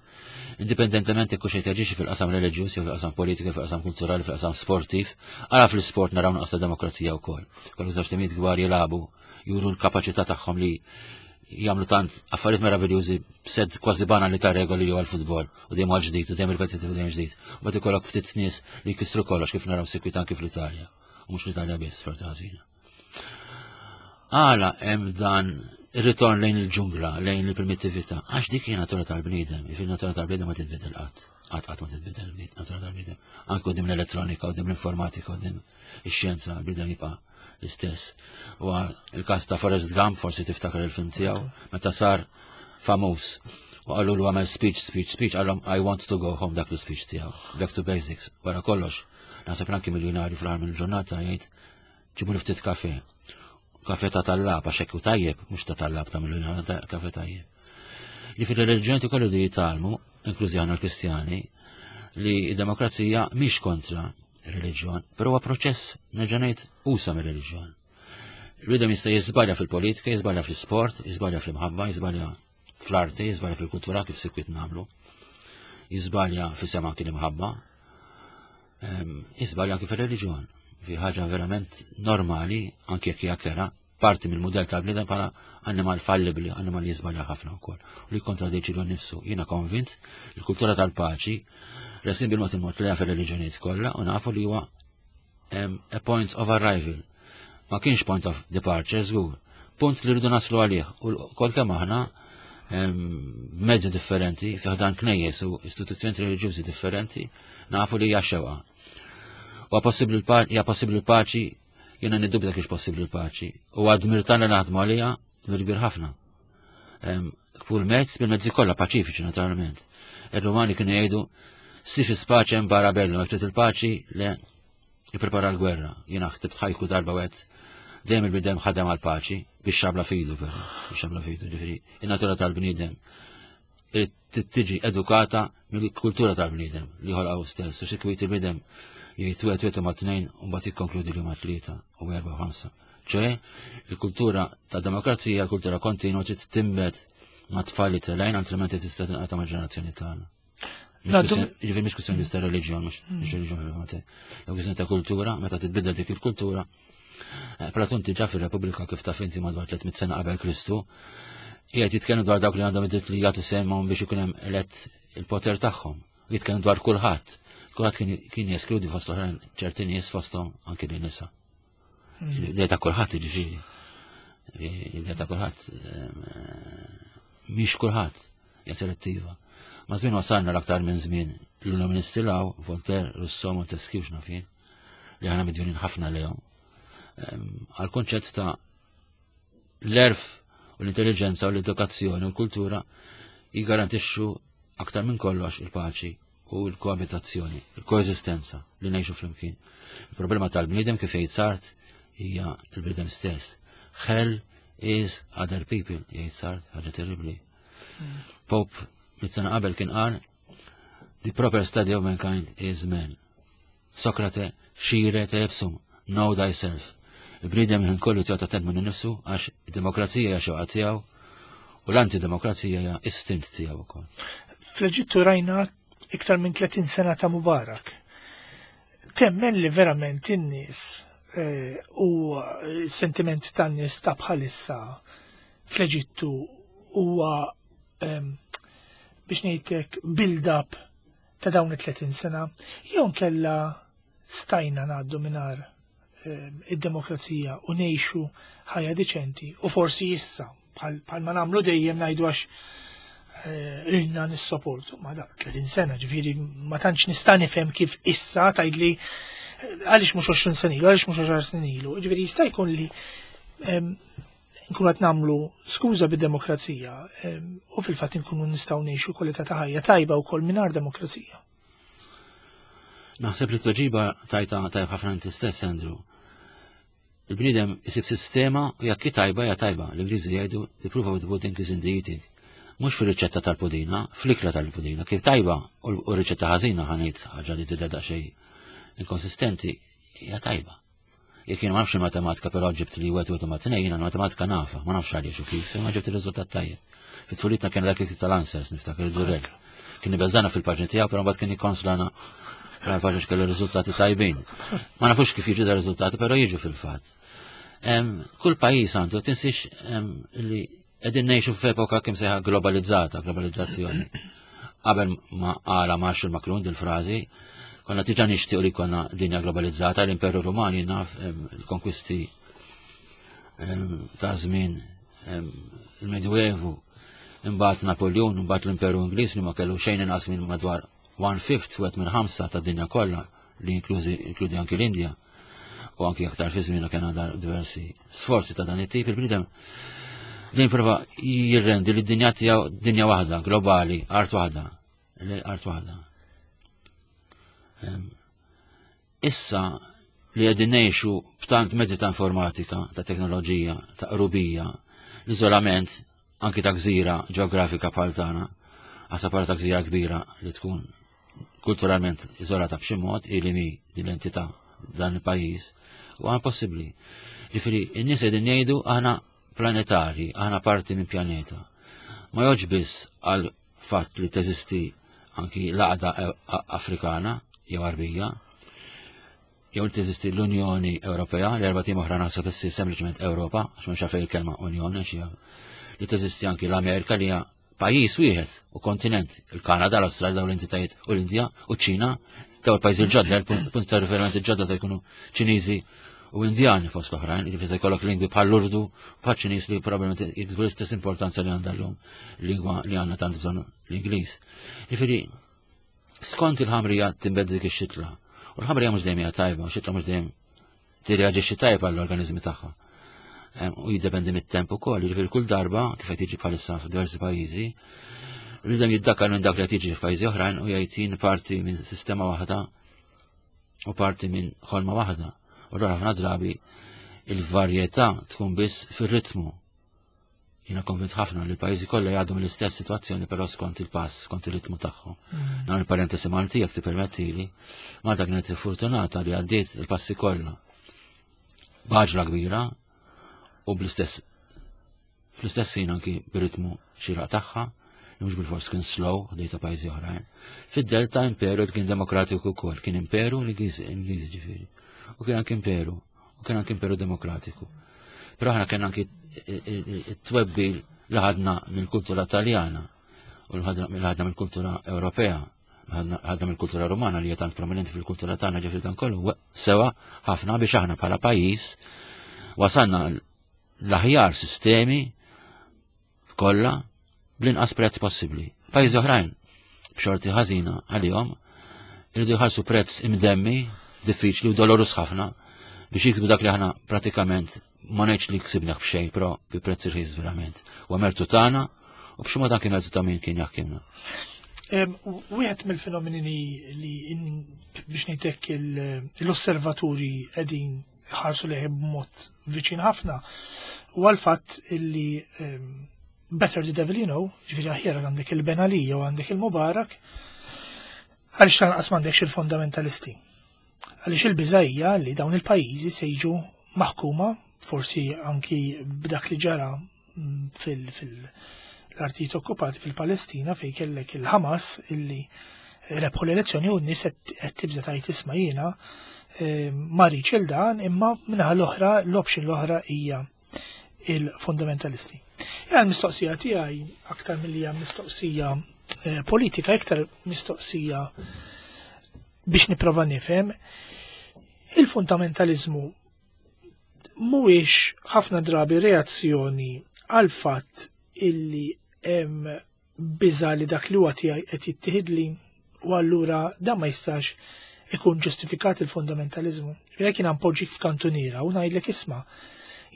indipendentement jekk xejn jaġixxi fil-qasam reliġjuż jew fil-qasam politiku, fil-qasam kulturali, fil-qasam sportiv, ara fl-isport naraw nuqqas ta' demokrazija wkoll. Kollu żewġ timijiet kbar jilagħbu juru l-kapaċità tagħhom li jagħmlu tant affarijiet meraviljużi b'sed kważi banali ta' regoli jew għall-futbol u dejjem għal ġdid u dejjem ripetitiv u dejjem ġdid. U bad ikollok ftit nies li jkissru kollox kif naraw sikwit anki fl-Italja. U mhux l-Italja biss, xorta ħażina. Għala hemm dan ir-ritorn lejn il-ġungla, lejn il-primitività, għax dik hija natura tal-bniedem, jiġifieri natura tal-bniedem ma titbidel qatt. Qatt qatt ma titbidel natura tal-bniedem. Anke quddiem l-elettronika, quddiem l-informatika, quddiem ix-xjenza, l-bniedem jibqa' l-istess. U il-każ ta' Forrest Gump, forsi tiftakar il-film tiegħu, meta sar famuż. U qallu lu għamel speech, speech, speech, għallhom I want to go home dak l-speech tiegħu. Back to basics, wara kollox. Naħseb anki miljonarju fl-aħħar mill-ġurnata jgħid ġibu ftit kafe. Kafe ta' tallab, għax hekk tajjeb, mhux ta' tallab ta' miljonarju, ta' kafe tajjeb. Jiġifieri r-reliġjoni kollu li jitalmu, inklużi aħna l-Kristjani, li d-demokrazija mhix kontra reliġjon, però huwa proċess nerġa' ngħid usa mir-reliġjon. Il-bniedem jista' jiżbalja fil-politika, jiżbalja fl-isport, jiżbalja fl-imħabba, jiżbalja fl-arti, jiżbalja fil-kultura kif sikwit nagħmlu. Jiżbalja fi sema anki l-imħabba, jiżbalja anki fir-reliġjon. Fi ħaġa verament normali, anki jekk hija kera, parti mill-mudell tal-bniedem bħala annimal fallibli, annimal li jiżbalja ħafna wkoll. U li kontradiċi l nifsu. Jiena konvint li l-kultura tal-paċi resin bil-mod il-mod li fir-reliġjonijiet kollha u nafu li huwa a point of arrival. Ma kienx point of departure, żgur. Punt li rridu naslu għalih u kol kemm aħna mezzi differenti, fi ħdan knejjes u istituzzjoni reliġjużi differenti, nafu li hija xewqa. Huwa possibbli hija possibbli l-paċi Jiena niddubita kiex possibbli l-paċi. U għad tagħna naħdmu għaliha, dmir kbir ħafna. Kull mezz, bil-mezzi kollha paċifiċi naturalment. Ir-Rumani kienu jgħidu si fi spaċe barra bellu, trid il-paċi le jipprepara l-gwerra. Jiena ħtibt ħajku darba wet dejjem il-bidem ħadem għal-paċi biex xabla fidu però, biex xabla fidu, ġifieri in-natura tal-bniedem tiġi edukata mill-kultura tal-bniedem li ħolqaw stess. U xi il-bniedem jgħid wieħed wieħed ma' tnejn u mbagħad jikkonkludi li huma tlieta u erba' u ħamsa. ċe, il-kultura ta' demokrazija, kultura kontinwa trid timbet ma' tfal li telgħin altrimenti tista' tinqata' ma' ġenerazzjoni tagħna. Ġifieri mhix kwistjoni ta' reliġjon, mhux mm. reliġjon, kwistjoni ta' kultura, meta titbiddel dik il-kultura, Eh, Platon diġà fir-Repubblika kif taf inti madwar 300 sena qabel Kristu, qiegħed jitkellem dwar dawk li għandhom id-dritt li jagħtu sehemhom biex ikun hemm elett il-poter tagħhom. Jitkellem dwar kulħadd. Kulħadd kien jeskludi fost l-oħrajn ċerti nies fosthom anki li nisa. Hmm. L-idea ta' kulħadd jiġifieri. L-idea ta' kulħadd eh, mhix kulħadd hija selettiva. Ma żmien wasalna l-aktar minn żmien l-illuministi law, Voltaire, Rousseau, Montesquieu x'naf jien li aħna midjunin ħafna lejhom għal konċett ta' l-erf u l-intelligenza u l-edukazzjoni u l-kultura jiggarantixxu aktar minn kollox il-paċi u l-koabitazzjoni, il-koeżistenza li ngħixu flimkien. Il-problema tal-bniedem kif jgħid Sart hija l-bniedem stess. Hell is other people, jgħid Sart, ħaġa terribli. Mm. Pope mit-sena qabel kien qal The proper study of mankind is man. Sokrate, scire te ipsum, know thyself. Il-bniedem ħin kollu tiegħu attent minnu nifsu għax id-demokrazija hija xewqa tiegħu u l-antidemokrazija hija istint tiegħu wkoll. Fl-Eġittu rajna iktar minn 30 sena ta' Mubarak. Temmen li verament in-nies eh, u sentiment tan-nies ta' bħalissa fl-Eġittu huwa ehm, biex ngħidlek build-up ta' dawn it-30 sena, jew nkella stajna ngħaddu mingħajr ehm, id-demokrazija u ngħixu ħajja diċenti u forsi issa bħal ma nagħmlu dejjem ngħidu għax eh, ilna nissoportu ma da 30 sena ġifieri ma tantx nista' nifhem kif issa tgħidli eh, għaliex mhux 20 sena ilu, għaliex mhux 10 snin ilu. Ġifieri jista' jkun li ehm, nkunu qed nagħmlu skuża bid-demokrazija u fil-fatt nkunu nistgħu ngħixu kwalità ta' ħajja tajba wkoll mingħajr demokrazija. Naħseb li t-tweġiba tajta tajb ħafna inti stess, Andrew. Il-bniedem isib sistema u jekk tajba hija tajba. L-Ingliżi jgħidu the proof of the pudding is in the eating. Mhux fir-riċetta tal-pudina, fl-ikla tal-pudina. Kif tajba u riċetta ħażina ħanejt ħaġa li tidher daqsxejn inkonsistenti hija tajba. Jekk jien ma nafx il-matematika, però ġibt li wieħed wieħed ma' tnejn, jiena matematika nafa, ma nafx għaliex u kif, imma ġibt ir-riżultat tajjeb. Fit-tfulitna kien dak tal-answers, niftakar id-durek. Kien ibeżżana fil-paġni tiegħu, però mbagħad kien jikkonslana għal-paġni kellu riżultati tajbin. Ma nafux kif jiġu da riżultati, però jiġu fil-fatt. Kull pajjiż għandu, tinsiex li Qegħdin ngħixu f'epoka kemm sejħa globalizzata, globalizzazzjoni. Qabel ma qala Marshall McLuhan dil-frażi, konna diġà nixtiequ li konna dinja globalizzata, l-Imperu Ruman naf il-konkwisti ta' żmien il-Medjuevu, imbagħad Napoleon, imbagħad l-Imperu Ingliż li ma kellu xejn inqas minn madwar one fifth wieħed minn ħamsa ta' dinja kollha li inklużi inkludi anki l-Indja u anki aktar fi żmienha kien għandha diversi sforzi ta' dan it-tip il-bniedem din prova jirrendi li d-dinja tiegħu dinja waħda, globali, art waħda, art waħda. Issa li qegħdin ngħixu b'tant mezzi ta' informatika, ta' teknoloġija, ta' qrubija, l-iżolament anki ta' gżira ġeografika bħal tagħna, għasa bħala ta' gżira kbira li tkun kulturalment iżolata b'xi mod ili mi din l-entità dan il-pajjiż, huwa impossibbli. Ġifieri, in-nies qegħdin jgħidu aħna planetari, aħna parti minn pjaneta. Ma jgħodx biss għal fatt li teżisti anki l-għaqda Afrikana jew Arbija, jew li teżisti l-Unjoni Ewropea, l-erba' tim oħra naħseb issir sempliċement Ewropa, għax mhux fejn il-kelma Unjoni għax li teżisti anki l-Amerika li hija pajjiż wieħed u kontinent, il-Kanada, l-Awstralja, dawn l-entitajiet u l-Indja u ċ-Ċina, daw il-pajjiżi l-ġodda, il-punt ta' riferiment il-ġodda se jkunu Ċiniżi u Indjani fost l-oħrajn, jiġifieri se jkollok lingwi bħal l-Urdu, bħal Ċiniż li probabbilment jiksbu l-istess importanza li għandha llum lingwa li għandna tant bżonn l-Ingliż. Jiġifieri skont il-ħamrija tinbed dik ix-xitla. U l-ħamrija mhux dejjem hija tajba, u xitla mhux dejjem tirreaġixxi tajba għall-organizmi tagħha. U jiddependi mit-temp ukoll, jiġifieri kull darba kif qed jiġi bħalissa f'diversi pajjiżi, rridem jiddakkar minn dak li qed jiġi f'pajjiżi oħrajn u jgħid jien parti minn sistema waħda u parti minn ħolma waħda. U allura ħafna drabi il-varjetà tkun biss fir-ritmu. Jiena konvint ħafna li l-pajjiżi kollha jgħaddu mill-istess sitwazzjoni però skont il-pass, skont ir-ritmu tagħhom. Mm. Nagħmel parentesi Malti jekk tippermettili, Malta kienet fortunata li għaddiet il-passi kollha b'għaġla kbira u bl-istess fl-istess ħin anki bir-ritmu xieraq tagħha, li mhux bil-fors kien slow ħdej ta' pajjiżi oħrajn. Fid-delta imperu li kien demokratiku wkoll, kien imperu l-Ingliżi ġifieri. U kien anki imperu, u kien anki imperu demokratiku. Però aħna kien anki it-twebbil li ħadna mill-kultura Taljana u li ħadna mill-kultura Ewropea ħadna mill-kultura Romana li hija tant prominenti fil-kultura tagħna ġifieri dan kollu sewa ħafna biex aħna bħala pajjiż wasalna l-aħjar sistemi kollha bl-inqas prezz possibbli. Pajjiżi oħrajn b'xorti ħażina għalihom iridu jħallsu prezz imdemmi, diffiċli u dolorus ħafna biex jiksbu dak li aħna pratikament ma ngħidx li ksibna b'xejn, però bi prezz irħis verament. U mertu tagħna u b'xi mod anke mertu ta' min kien jaħkimna. Wieħed mill-fenomeni li biex ngħidlek l-osservaturi qegħdin ħarsu leħi b'mod viċin ħafna u għal-fatt illi better the devil you know, ġifieri aħjar għandek il-Benali jew għandek il-Mubarak, għaliex lanqas m'għandekx il-fundamentalisti. Għaliex il-biża hija li dawn il-pajjiżi se jiġu maħkuma forsi anki b'dak li ġara fil-artijiet okkupati fil-Palestina fejn kellek il-Hamas illi rebħu l-elezzjoni u n-nies qed tibża tajt isma' jiena eh, ma rridx il dan imma minnaħa l-oħra l-option l-oħra hija il-fundamentalisti. Jena l-mistoqsija tiegħi aktar milli hija mistoqsija eh, politika, iktar mistoqsija biex nipprova nifhem il-fundamentalizmu mhuwiex ħafna drabi reazzjoni għal fatt illi hemm biża li dak li huwa tiegħi qed jittieħidli u allura dan ma jistax ikun ġustifikat il-fundamentalizmu. Jekk jiena npoġġik f'kantuniera u ngħidlek isma'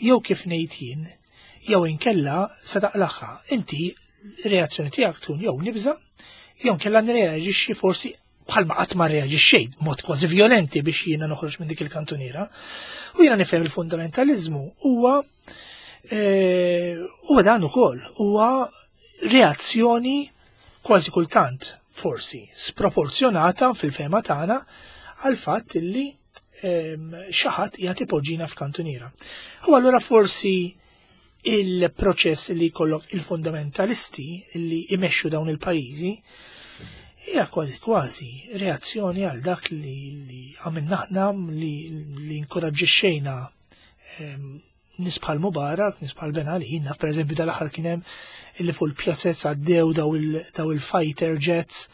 jew kif ngħid jien, jew inkella se taqlaħħa. Inti reazzjoni tiegħek tkun jew nibża' jew inkella nreaġixxi forsi bħalma qatt ma reaġixxejt b'mod kważi violenti biex jiena noħroġ minn dik il-kantuniera. U jiena nifhem il-fundamentalizmu huwa eh, huwa dan ukoll huwa reazzjoni kważi kultant forsi sproporzjonata fil-fema tagħna għal fatt illi ehm, xi ħadd qiegħed ipoġġina f'kantuniera. U allura forsi il-proċess li jkollok il-fundamentalisti li imexxu dawn il-pajjiżi hija kważi kważi reazzjoni għal dak li, li għamilna aħna li, li inkoraġġixxejna ehm, Nies bħal Mubarak, nies bħal Ben Ali, naf pereżempju dal-aħħar kien hemm illi fuq il-pjazez għaddew daw il-fighter jets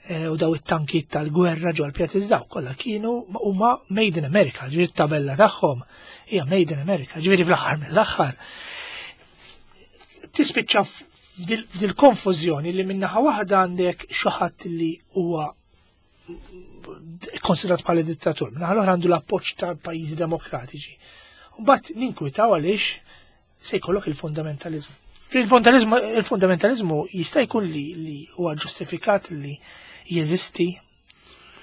eh, u daw it-tankiet tal-gwerra ġol pjazez daw kollha kienu huma made in America, ġifieri t-tabella tagħhom hija made in America, ġifieri fl-aħħar mill-aħħar. Tispiċċa f'dil-konfużjoni li minnaħa waħda għandek xi ħadd li huwa konsidrat bħala dittatur, minnaħa l-oħra għandu l-appoġġ ta' pajjiżi demokratiċi. Mbagħad ninkwitaw għaliex se jkollok il-fundamentalizmu. Il-fundamentalizmu jista' jkun li, li huwa ġustifikat li jeżisti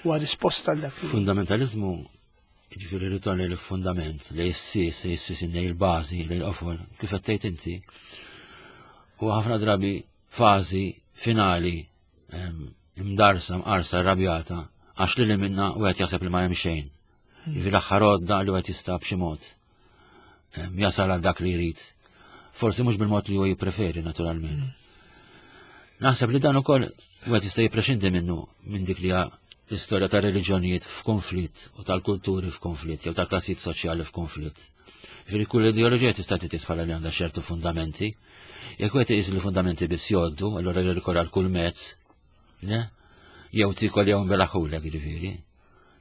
huwa risposta għal dak. Fundamentalizmu ġifieri ritorn lejn il-fundament, lejn is-sis, lejn is-sis lejn il-bażi, lejn il-qofol, kif qed tgħid inti. U ħafna drabi fażi finali imdarsa, mqarsa, rrabjata, għax li li minna u għet jaħseb li ma hemm xejn. Jiġifieri l-aħħar għodda li għet jista' b'xi mod jasal għal dak li jrid. Forsi mhux bil-mod li huwa jippreferi naturalment. Naħseb li dan ukoll wieħed jista' jipprexindi minnu minn dik li l-istorja ta' reliġjonijiet f'konflitt u tal-kulturi f'konflitt jew tal-klassijiet soċjali f'konflitt. Ġifieri kull ideoloġija tista' titqis bħala li għandha ċertu fundamenti. Jekk wieħed iqis li fundamenti biss jgħoddu, allura jirrikorra għal kull mezz, ne? Jew tikol jew nbelaħulek jiġifieri.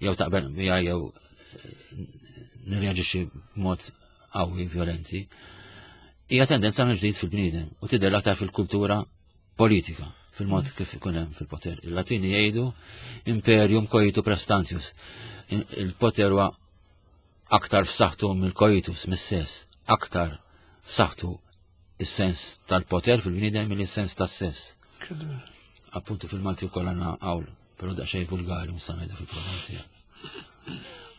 Jew taqbel miegħi jew eh, nirreaġixxi b'mod qawwi violenti. Hija tendenza minn ġdid fil-bniedem u tidher aktar fil-kultura politika fil-mod mm. kif ikun hemm fil-poter. Il-Latini jgħidu imperium coitu prestantius. Il-poter huwa aktar f'saħħtu mill-coitus, mis-sess, aktar f'saħħtu is-sens tal-poter fil-bniedem mill-sens tas-sess. Appuntu fil-Malti wkoll għandna hawn, però daqsxejn vulgari mhux ngħidu fil-programm tiegħek.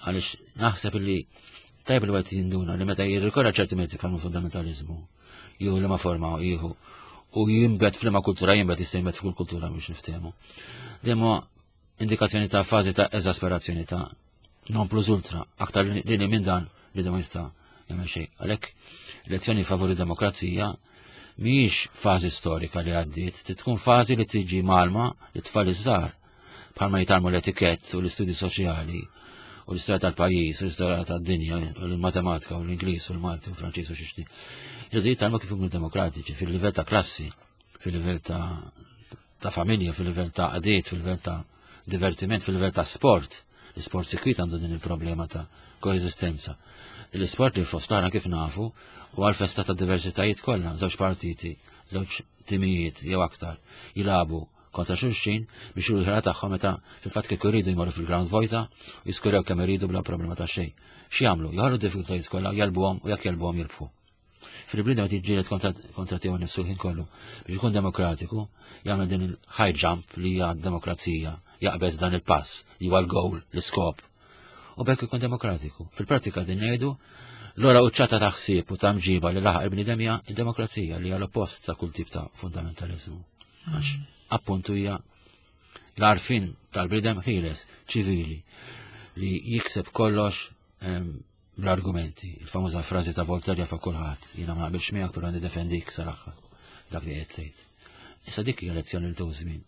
Għaliex naħseb li tajb li għed jinduna li meta jirrikorra ċerti mezzi bħal fundamentalizmu, jew li ma forma jieħu u jimbet f'liema kultura jimbet jista' jimbet f'kull kultura biex niftehmu. Dejjem indikazzjoni ta' fażi ta' eżasperazzjoni ta' non plus ultra, aktar li minn dan li ma jista' jagħmel xejn. Għalhekk lezzjoni favori demokrazija mhijiex fażi storika li għaddiet, tkun fażi li tiġi malma li tfal iż-żgħar bħalma jitalmu l-etikett u l-istudji soċjali u l-istorja tal-pajjiż u l-istorja tad-dinja u l-matematika u l-Ingliż u l-Malti u l-Franċiż u xixti. Irridu jitalmu kif ikunu demokratiċi fil-livell ta' klassi, fil-livell ta' ta' familja, fil-livell ta' għadiet, fil-livell ta' divertiment, fil-livell ta' sport. L-isport sikwit għandu din il-problema ta' koeżistenza. L-isport li fost l kif nafu u għal-festa ta' diversitajiet kollha, żewġ partiti, żewġ timijiet jew aktar jilabu kontra xulxin biex juru l-ħela tagħhom meta fil-fatt kieku jridu jmorru fil-ground vojta u jiskurew kemm iridu bla problema ta' xejn. X'jagħmlu? Joħolqu diffikultajiet kollha, jalbuhom u jekk jelbuhom jirbħu. Fil-bniedem qed jiġġieled kontra tiegħu nnifsu l-ħin kollu biex ikun demokratiku, jagħmel din il-high jump li hija demokrazija, jaqbeż dan il-pass li huwa l-goal, l-iskop. U bekk ikun demokratiku. Fil-prattika din ngħidu l-ora uċċata ta' ħsieb u ta' mġiba li laħaq il-bniedem hija d-demokrazija li hija l-oppost ta' kull tip ta' fundamentalizmu. Għax mm. appuntu hija l-arfin tal-bniedem ħieles ċivili li jikseb kollox bl-argumenti. Il-famuża frażi ta' Voltaire jafa kulħadd, jiena ma naqbilx miegħek però nidefendik sal-aħħar dak li qed tgħid. Issa dik hija lezzjoni li żmien.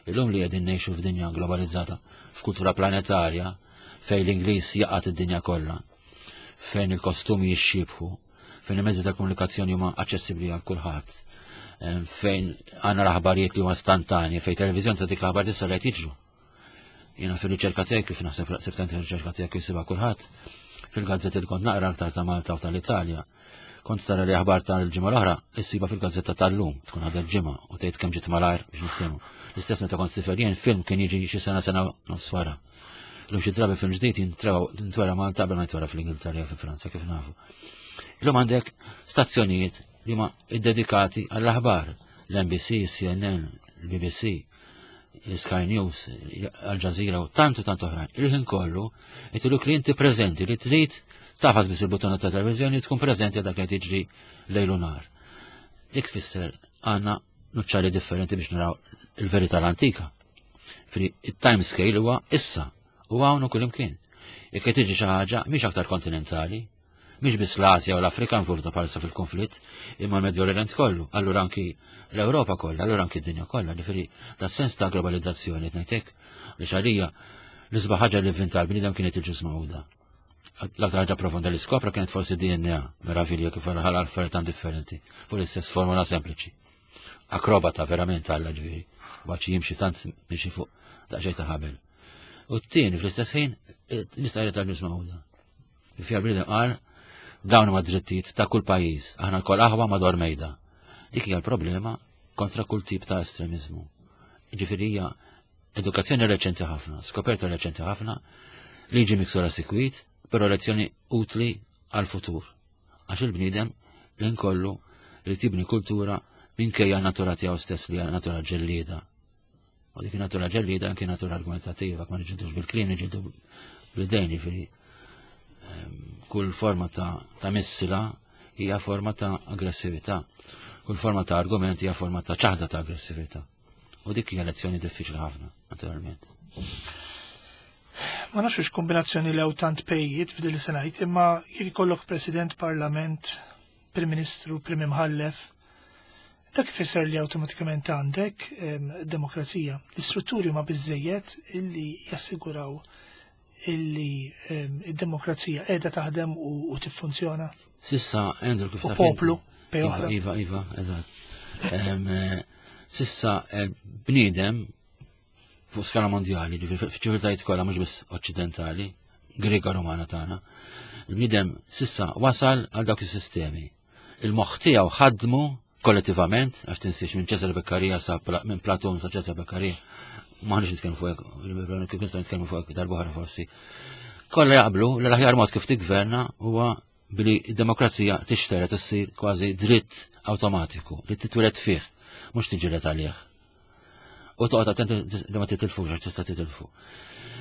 Illum li qegħdin ngħixu f'dinja globalizzata, f'kultura planetarja, fejn l-Ingliż jaqgħad id-dinja kollha, fejn il-kostumi jixxiebħu, fejn il-mezzi ta' komunikazzjoni huma aċċessibbli għal kulħadd, fejn għandna l-aħbarijiet li huma istantanji, fejn televiżjoni ta' dik l-aħbar tista' li qed jiġru. Jiena fil-riċerka tiegħi kif naħseb siftant fil-riċerka tiegħi kif sibha kulħadd, fil-gazzetti li kont naqra aktar ta' Malta u tal-Italja, kont tara li aħbar tal-ġimgħa l-oħra issiba fil-gazzetta tal-lum, tkun għadha l-ġimgħa u tgħid kemm ġiet malajr biex niftehmu. L-istess meta kont tifel jien film kien jiġi xi sena sena nofs wara. Illum xi drabi film ġdid jintwera Malta qabel ma jintwera fl-Ingilterra jew fi Franza kif nafu. Illum għandek stazzjonijiet li huma iddedikati għall-aħbar, l-NBC, CNN, l-BBC, Sky News, Al Jazeera u tantu tant oħrajn. Il-ħin kollu jtuluk li inti preżenti li trid tafas biss il-buttona ta' televizjoni tkun preżenti dak li tiġri lejl u nar. Dik tfisser għandna nuċċali differenti biex naraw il-verità l-antika. Fri il-time scale huwa issa u hawn u kullimkien. Jekk qed tiġi xi ħaġa mhix aktar kontinentali, Mhix biss l-Asja u l-Afrika involuta bħalissa fil-konflitt, imma l-Medju Orient kollu, allura anki l-Ewropa kollha, allura anki d-dinja kollha, ġifieri da sens ta' globalizzazzjoni qed ngħidlek li xalija l-isbaħ ħaġa li vvinta l-bniedem kienet il-ġus magħquda. L-aktar ħaġa profonda li skopra kienet forsi DNA, meravilja kif ħala affarijiet tan differenti fuq l-istess formula sempliċi. Akrobata verament Alla ġifieri, baċi jimxi tant miexi fuq daqsxejn ta' ħabel. U t-tieni fl-istess ħin l-istqarrija tal-Ġnus Magħquda. Fija bniedem qal dawn huma drittijiet ta' kull pajjiż, aħna lkoll aħwa madwar mejda. Dik hija l-problema kontra kull tip ta' estremizmu. Ġifieri hija edukazzjoni reċenti ħafna, skoperta reċenti ħafna, liġi miksura sikwit, però lezzjoni utli għal-futur. Għax il-bniedem l-inkollu li tibni kultura minkejja natura tiegħu stess li hija natura ġellieda. U dik natura ġellieda anke natura argumentativa, ma niġġildux bil-kliem, niġġieldu bl-idejn, jiġifieri kull forma ta', ta missila hija forma ta' aggressività. Kull forma ta' argument hija forma ta' ċaħda ta' aggressività. U dik hija lezzjoni diffiċli ħafna, naturalment. Ma nafx kombinazzjoni lew tant pejjiet f'din li se ngħid, imma jekk ikollok President, Parlament, Prim Ministru, Prim Imħallef, dak ifisser li awtomatikament għandek demokrazija. L-istrutturi ma biżejjed illi jassiguraw illi id-demokrazija qiegħda taħdem u tiffunzjona. Sissa, Andrew, kif taf. Poplu, iva, iva, iva, eżatt. Eh, sissa, eh, bniedem fuq skala mondjali, f'ċiviltajiet kollha mhux biss oċċidentali, Grega Romana tagħna, il-bniedem sissa wasal għal dawk is-sistemi. Il-moħħ tiegħu ħadmu kollettivament, għax tinsiex minn Ċesar Beccaria sa minn Platon sa Ċesar Beccaria, maħniex nitkellmu fuq hekk, kif nistgħu nitkellmu fuq hekk darba forsi. Kollha jaqblu li l-aħjar mod kif tigverna huwa billi d-demokrazija tixteret issir kważi dritt awtomatiku li titwieled fih, mhux tiġilet għalih. U toqgħod attent li ma titilfux għax tista' titilfu.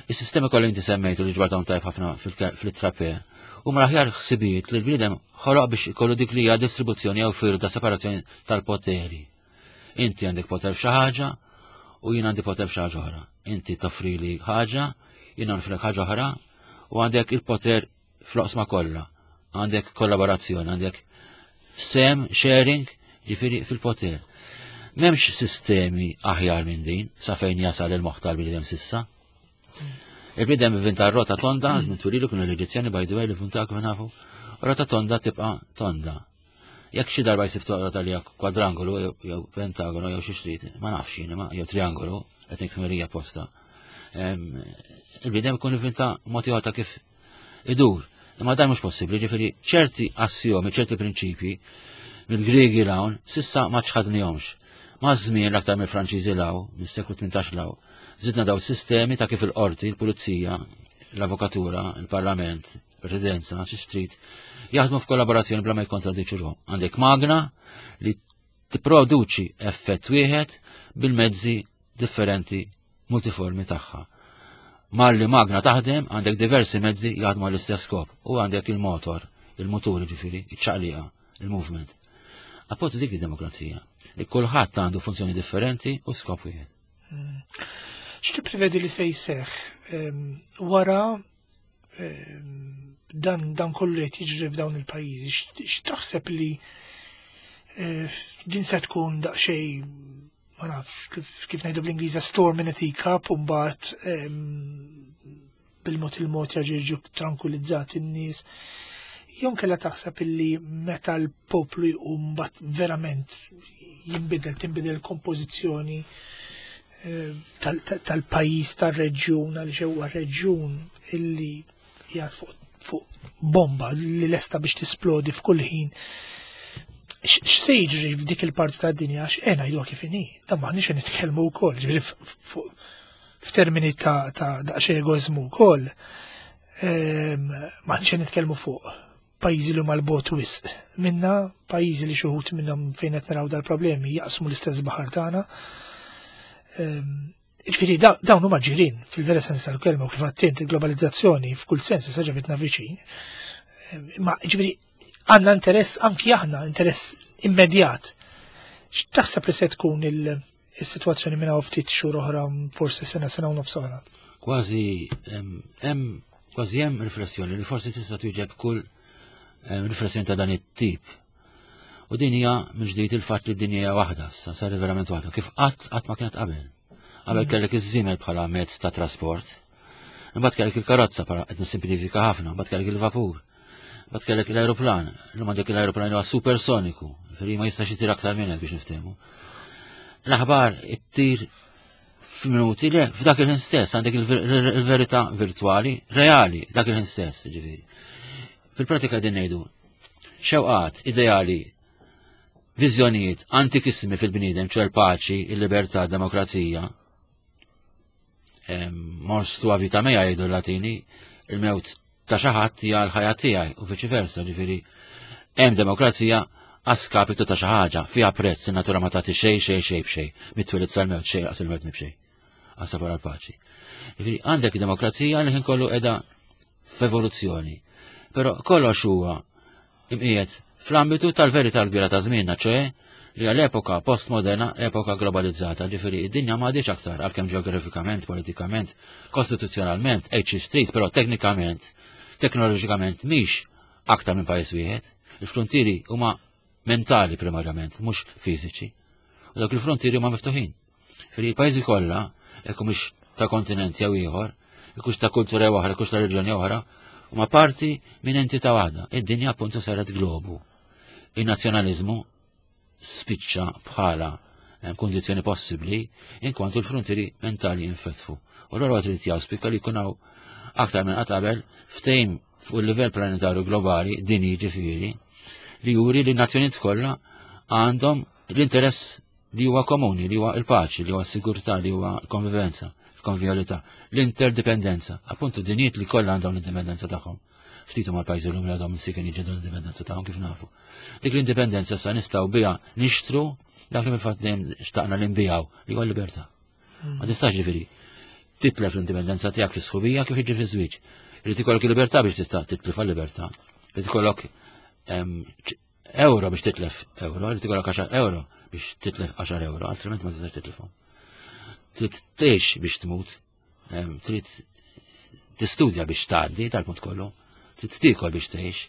Is-sistemi kollha inti semmejtu li ġbarthom tajb ħafna fil-trape huma l-aħjar ħsibijiet li l-bniedem ħoloq biex ikollu dik li hija distribuzzjoni jew firda separazzjoni tal-poteri. Inti għandek poter f'xi ħaġa u jien għandi poter f'xi ħaġa oħra. Inti toffrili ħaġa, jien nofrek ħaġa oħra u għandek il-poter fl-oqsma kollha. Għandek kollaborazzjoni, għandek sem, sharing, ġifiri fil-poter. Memx sistemi aħjar minn din, sa fejn jasal il-moħħ tal-bniedem sissa. Il-bniedem vinta rota tonda, żmien twililu kienu l-Eġizzjani by the way li vunta kif nafu, rota tonda tibqa' tonda. Jekk xi darba jsib toqgħod għalija kwadrangolu jew pentagonu jew xi xtrid, ma nafx jien ma jew triangolu, qed ngħid ħmerija posta. Il-bniedem ikun ivvinta mod ieħor ta' kif idur. Imma dan mhux possibbli, ġifieri ċerti assiomi, ċerti prinċipji mill-Griegi l-hawn sissa ma ċħadnihomx. Ma' żmien l-aktar mill-Franċiżi l-hawn, mis-seklu 18 l-hawn, zidna daw sistemi ta' kif il-qorti, il-pulizija, l-avokatura, il-parlament, presidenza, xi street, jaħdmu f'kollaborazzjoni bla ma jikkontradiċu ruħhom. Għandek magna li tipproduċi effett wieħed bil-mezzi differenti multiformi tagħha. Malli magna taħdem għandek diversi mezzi jaħdmu għall-istess skop u għandek il-motor, il-mutur ġifieri, iċ-ċaqliqa, il-movement. Appuntu dik id-demokrazija, li kulħadd għandu funzjoni differenti u skop wieħed. X'tipprevedi li se jseħħ wara dan dan kollu qed jiġri f'dawn il-pajjiżi? X'taħseb li eh, din se tkun daqsxejn ma nafx kif, kif ngħidu bl-Ingliż storm in a teacup u mbagħad bil-mod il-mod jaġirġu tranquillizzati n-nies. Jew kella taħseb illi meta l-poplu jqum mbagħad verament jinbidel, tinbidel kompożizzjoni eh, tal-pajjiż tar-reġjun għaliex huwa reġjun illi jgħad fuq fuq bomba li lesta biex tisplodi f'kull ħin. X'se jiġri f'dik il-parti tad-dinja għax eh ngħiduha kif inhi, dan m'aħniex nitkellmu wkoll, ġifieri f'termini ta' daqsxejn egoiżmu wkoll, ehm, m'aħniex nitkellmu fuq pajjiżi li huma l-bot wisq minna, pajjiżi li xi wħud minnhom fejn qed naraw dal-problemi jaqsmu l-istess baħar tagħna. Ehm, Ġifieri dawn huma ġirien fil-vera sens tal-kelma u kif għattint il-globalizzazzjoni f'kull sens issa ġabitna viċin. Ma ġifieri għandna interess anki aħna, interess immedjat. X'taħseb li se tkun il-sitwazzjoni minn hawn ftit xhur oħra, forsi sena sena u nofs oħra? Kważi hemm kważi hemm riflessjoni li forsi tista' twieġeb kull riflessjoni ta' dan it-tip. U din hija mill-ġdid il-fatt li d-dinja hija waħda, sa saret verament waħda, kif qatt qatt ma kienet qabel. Qabel mm. kellek iż-żiemel bħala mezz ta' trasport. Imbagħad kellek il-karozza para qed nisimplifika ħafna, imbagħad kellek il-vapur. Imbagħad kellek l-ajruplan, illum għandek l-ajruplan huwa supersoniku, ġifieri ma jistax itir aktar minn hekk biex niftehmu. L-aħbar ittir f'minuti le, f'dak il-ħin stess għandek il-verità virtwali, reali, dak il-ħin stess, ġifieri. Fil-pratika din ngħidu, xewqat, ideali, viżjonijiet antikissimi fil-bniedem, ċer paċi, il-libertà, demokrazija, mors tua vita mea jgħidu l-Latini, il-mewt ta' xi ħadd hija l-ħajja tiegħi u viċi versa, ġifieri hemm demokrazija għaskapitu ta' xi ħaġa, fiha prezz in-natura ma tagħti xejn xejn xejn b'xejn, mit-twelid sal-mewt xejn qas il-mewt mibxejn. Għasa wara l-paċi. Ġifieri għandek demokrazija li ħin kollu qiegħda f'evoluzzjoni. Però kollox huwa imqiegħed fl-ambitu tal-verità l-kbira ta' żmienna, ċoe li għal epoka postmoderna, epoka globalizzata, ġifieri id-dinja ma għadix aktar għalkemm ġeografikament, politikament, kostituzzjonalment, hekk street, però teknikament, teknoloġikament mhix aktar minn pajjiż wieħed. Il-frontieri huma mentali primarjament, mhux fiżiċi. U dawk il-frontieri huma miftuħin. Fri l-pajjiżi kollha, jekk mhux ta' kontinent jew ieħor, jekk ta' kultura jew oħra, jekk ta' reġjoni oħra, huma parti minn entità waħda. Id-dinja appuntu saret globu. Il-nazzjonaliżmu spiċċa bħala eh, kundizzjoni possibbli inkwantu l-frontieri mentali jinfetħu. U l-għura trid jawspika li jkun hawn aktar minn qatt qabel ftehim fuq il-livell planetarju globali dinji ġifieri li juri li n-nazzjonijiet kollha għandhom l-interess li huwa komuni, li huwa il-paċi, li huwa s-sigurtà, li huwa l-konvivenza, l-konvivjalità, l-interdipendenza. Appuntu dinijiet li kollha għandhom l-indipendenza tagħhom. Ftit huma l-pajjiżi l-lum li għadhom msiken jiġġieldu l-indipendenza tagħhom kif nafu. Dik l-indipendenza sa nistgħu biha nixtru dak li fil-fatt dejjem xtaqna li nbijaw li huwa l-libertà. Ma tistax ġifieri titlef l-indipendenza tiegħek fis-sħubija kif jiġi fiż-żwieġ. Irid ikollok il-libertà biex tista' titlef għal-libertà. Irid ikollok euro biex titlef euro, irid ikollok 10 euro biex titlef 10 euro, altrimenti ma tistax titlifhom. Trid tgħix biex tmut, trid tistudja biex tgħaddi tal-punt kollu, trid tiekol biex tgħix,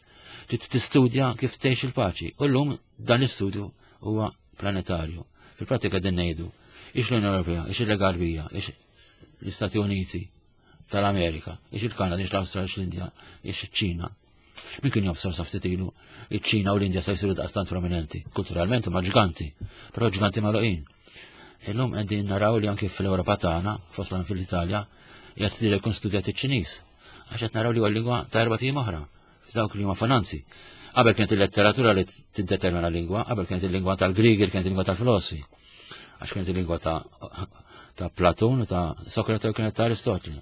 trid tistudja kif tgħix il-paċi. U llum dan l-istudju huwa planetarju. Fil-pratika din ngħidu, ix l-Unjoni Ewropea, ix il-Lega ix l-Istati Uniti tal-Amerika, ix il-Kanada, ix l-Awstralja, ix l-Indja, ix ċ-Ċina. Min kien jaf sa ftit ilu, iċ-Ċina u l-Indja se jsiru daqstant prominenti. Kulturalment huma ġganti, però ġganti magħluqin. Illum qegħdin naraw li anki fl-Ewropa tagħna, fost fil-Italja, qiegħed tidher jkun studjat iċ-Ċiniż. Għax qed naraw li huwa lingwa ta' erba' tim oħra, f'dawk li huma finanzi. Qabel kienet il-letteratura li tiddetermina lingwa, qabel kienet il-lingwa tal-Grigi, kienet il-lingwa tal-filosfi. Għax kienet il-lingwa ta' ta' Platun, ta' Sokrate u kienet ta' Aristotli.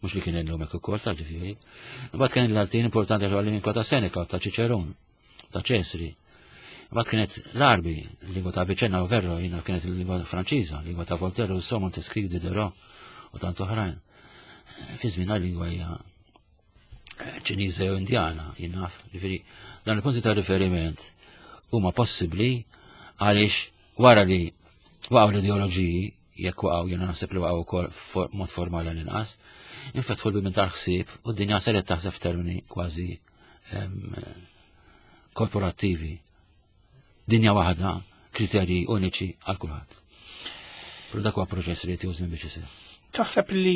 Mhux li kien illum hekk ukoll ta' ġifieri. Imbagħad kien il-Latin importanti għax lingwa ta' Seneca, ta' Ċiċerun, ta' Ċesri. Imbagħad kienet l-Arbi, lingwa ta' Avicenna u Verro, jiena kienet il-lingwa Franċiża, lingwa ta' Voltaire, Rousseau, Montesquieu, Diderot u tant oħrajn. Fi żmien lingwa hija Ċiniża jew Indjana, jien naf, ġifieri dan il-punti ta' riferiment huma possibbli għaliex wara li waqgħu l-ideoloġiji jekk waqgħu jiena naħseb li waqgħu wkoll mod formali għall-inqas, infetħu l-bibien tal-ħsieb u d-dinja saret taħseb f'termini kważi korporattivi. Dinja waħda, kriterji uniċi għal kulħadd. Però dak huwa proċess li jtieħu żmien biex isir. Taħseb li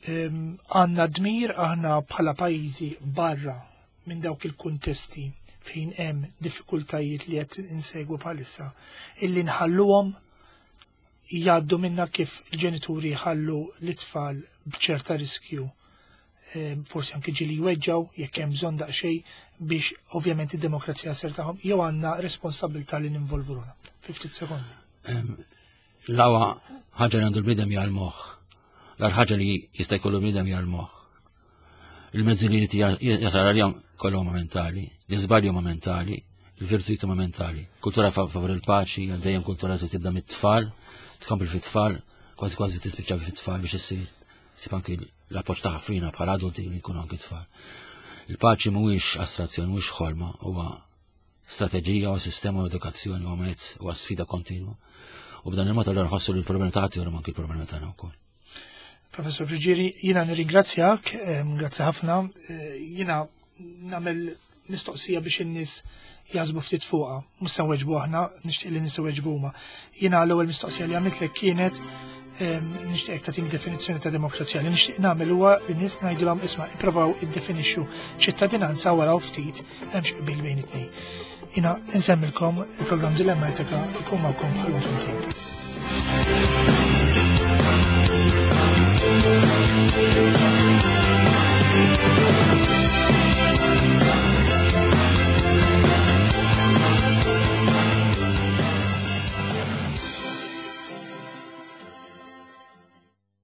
għandna dmir aħna bħala pajjiżi barra minn dawk il-kuntesti fejn hemm diffikultajiet li qed insegwu bħalissa illi nħalluhom jgħaddu minna kif il-ġenituri jħallu l-itfal b'ċerta riskju eh, forsi anki ġili jweġġaw jekk hemm bżonn daqsxejn biex ovvjament id-demokrazija ser tagħhom jew għandna responsabilità li ninvolvu ruħna. Fi ftit sekondi. L-awa ħaġa li għandu l-bniedem hija l-moħħ. L-ar ħaġa li jista' jkollu l-bniedem hija l-moħħ. Il-mezzi li jrid jasal għalihom kollha huma mentali, l-iżbalji huma mentali, il-virtujiet huma mentali. Kultura favur il-paċi, għal dejjem kultura li tibda mit-tfal, tkompli fit-tfal, kważi kważi tispiċċa fit-tfal biex issir. Sib anki l-appoġġ ta' ħafina bħala adulti li jkunu anki tfal. Il-paċi mhuwiex astrazzjoni, mhuwiex ħolma, huwa strateġija u sistema u edukazzjoni u mezz u sfida kontinwa. U b'dan il-mod allura nħossu li l-problemi ta' ħadd anki l-problemi tagħna wkoll. Professor Friġieri, jina nirringrazzjak, grazzi ħafna, eh, jina namel mistoqsija biex in-nies jażbu ftit fuqha, mhux se nweġbu aħna, nixtieq li nies iweġbu huma. Jiena l-ewwel mistoqsija li għamiltlek kienet Nixtieq tagħtini definizzjoni ta' demokrazija li nixtieq nagħmel huwa li nies ngħidilhom isma' ipprovaw iddefinixxu ċittadinanza wara ftit hemm xi qbil bejn it-tnejn. Jina nsemmilkom il-programm Dilemma Etika jkun magħkom bħal.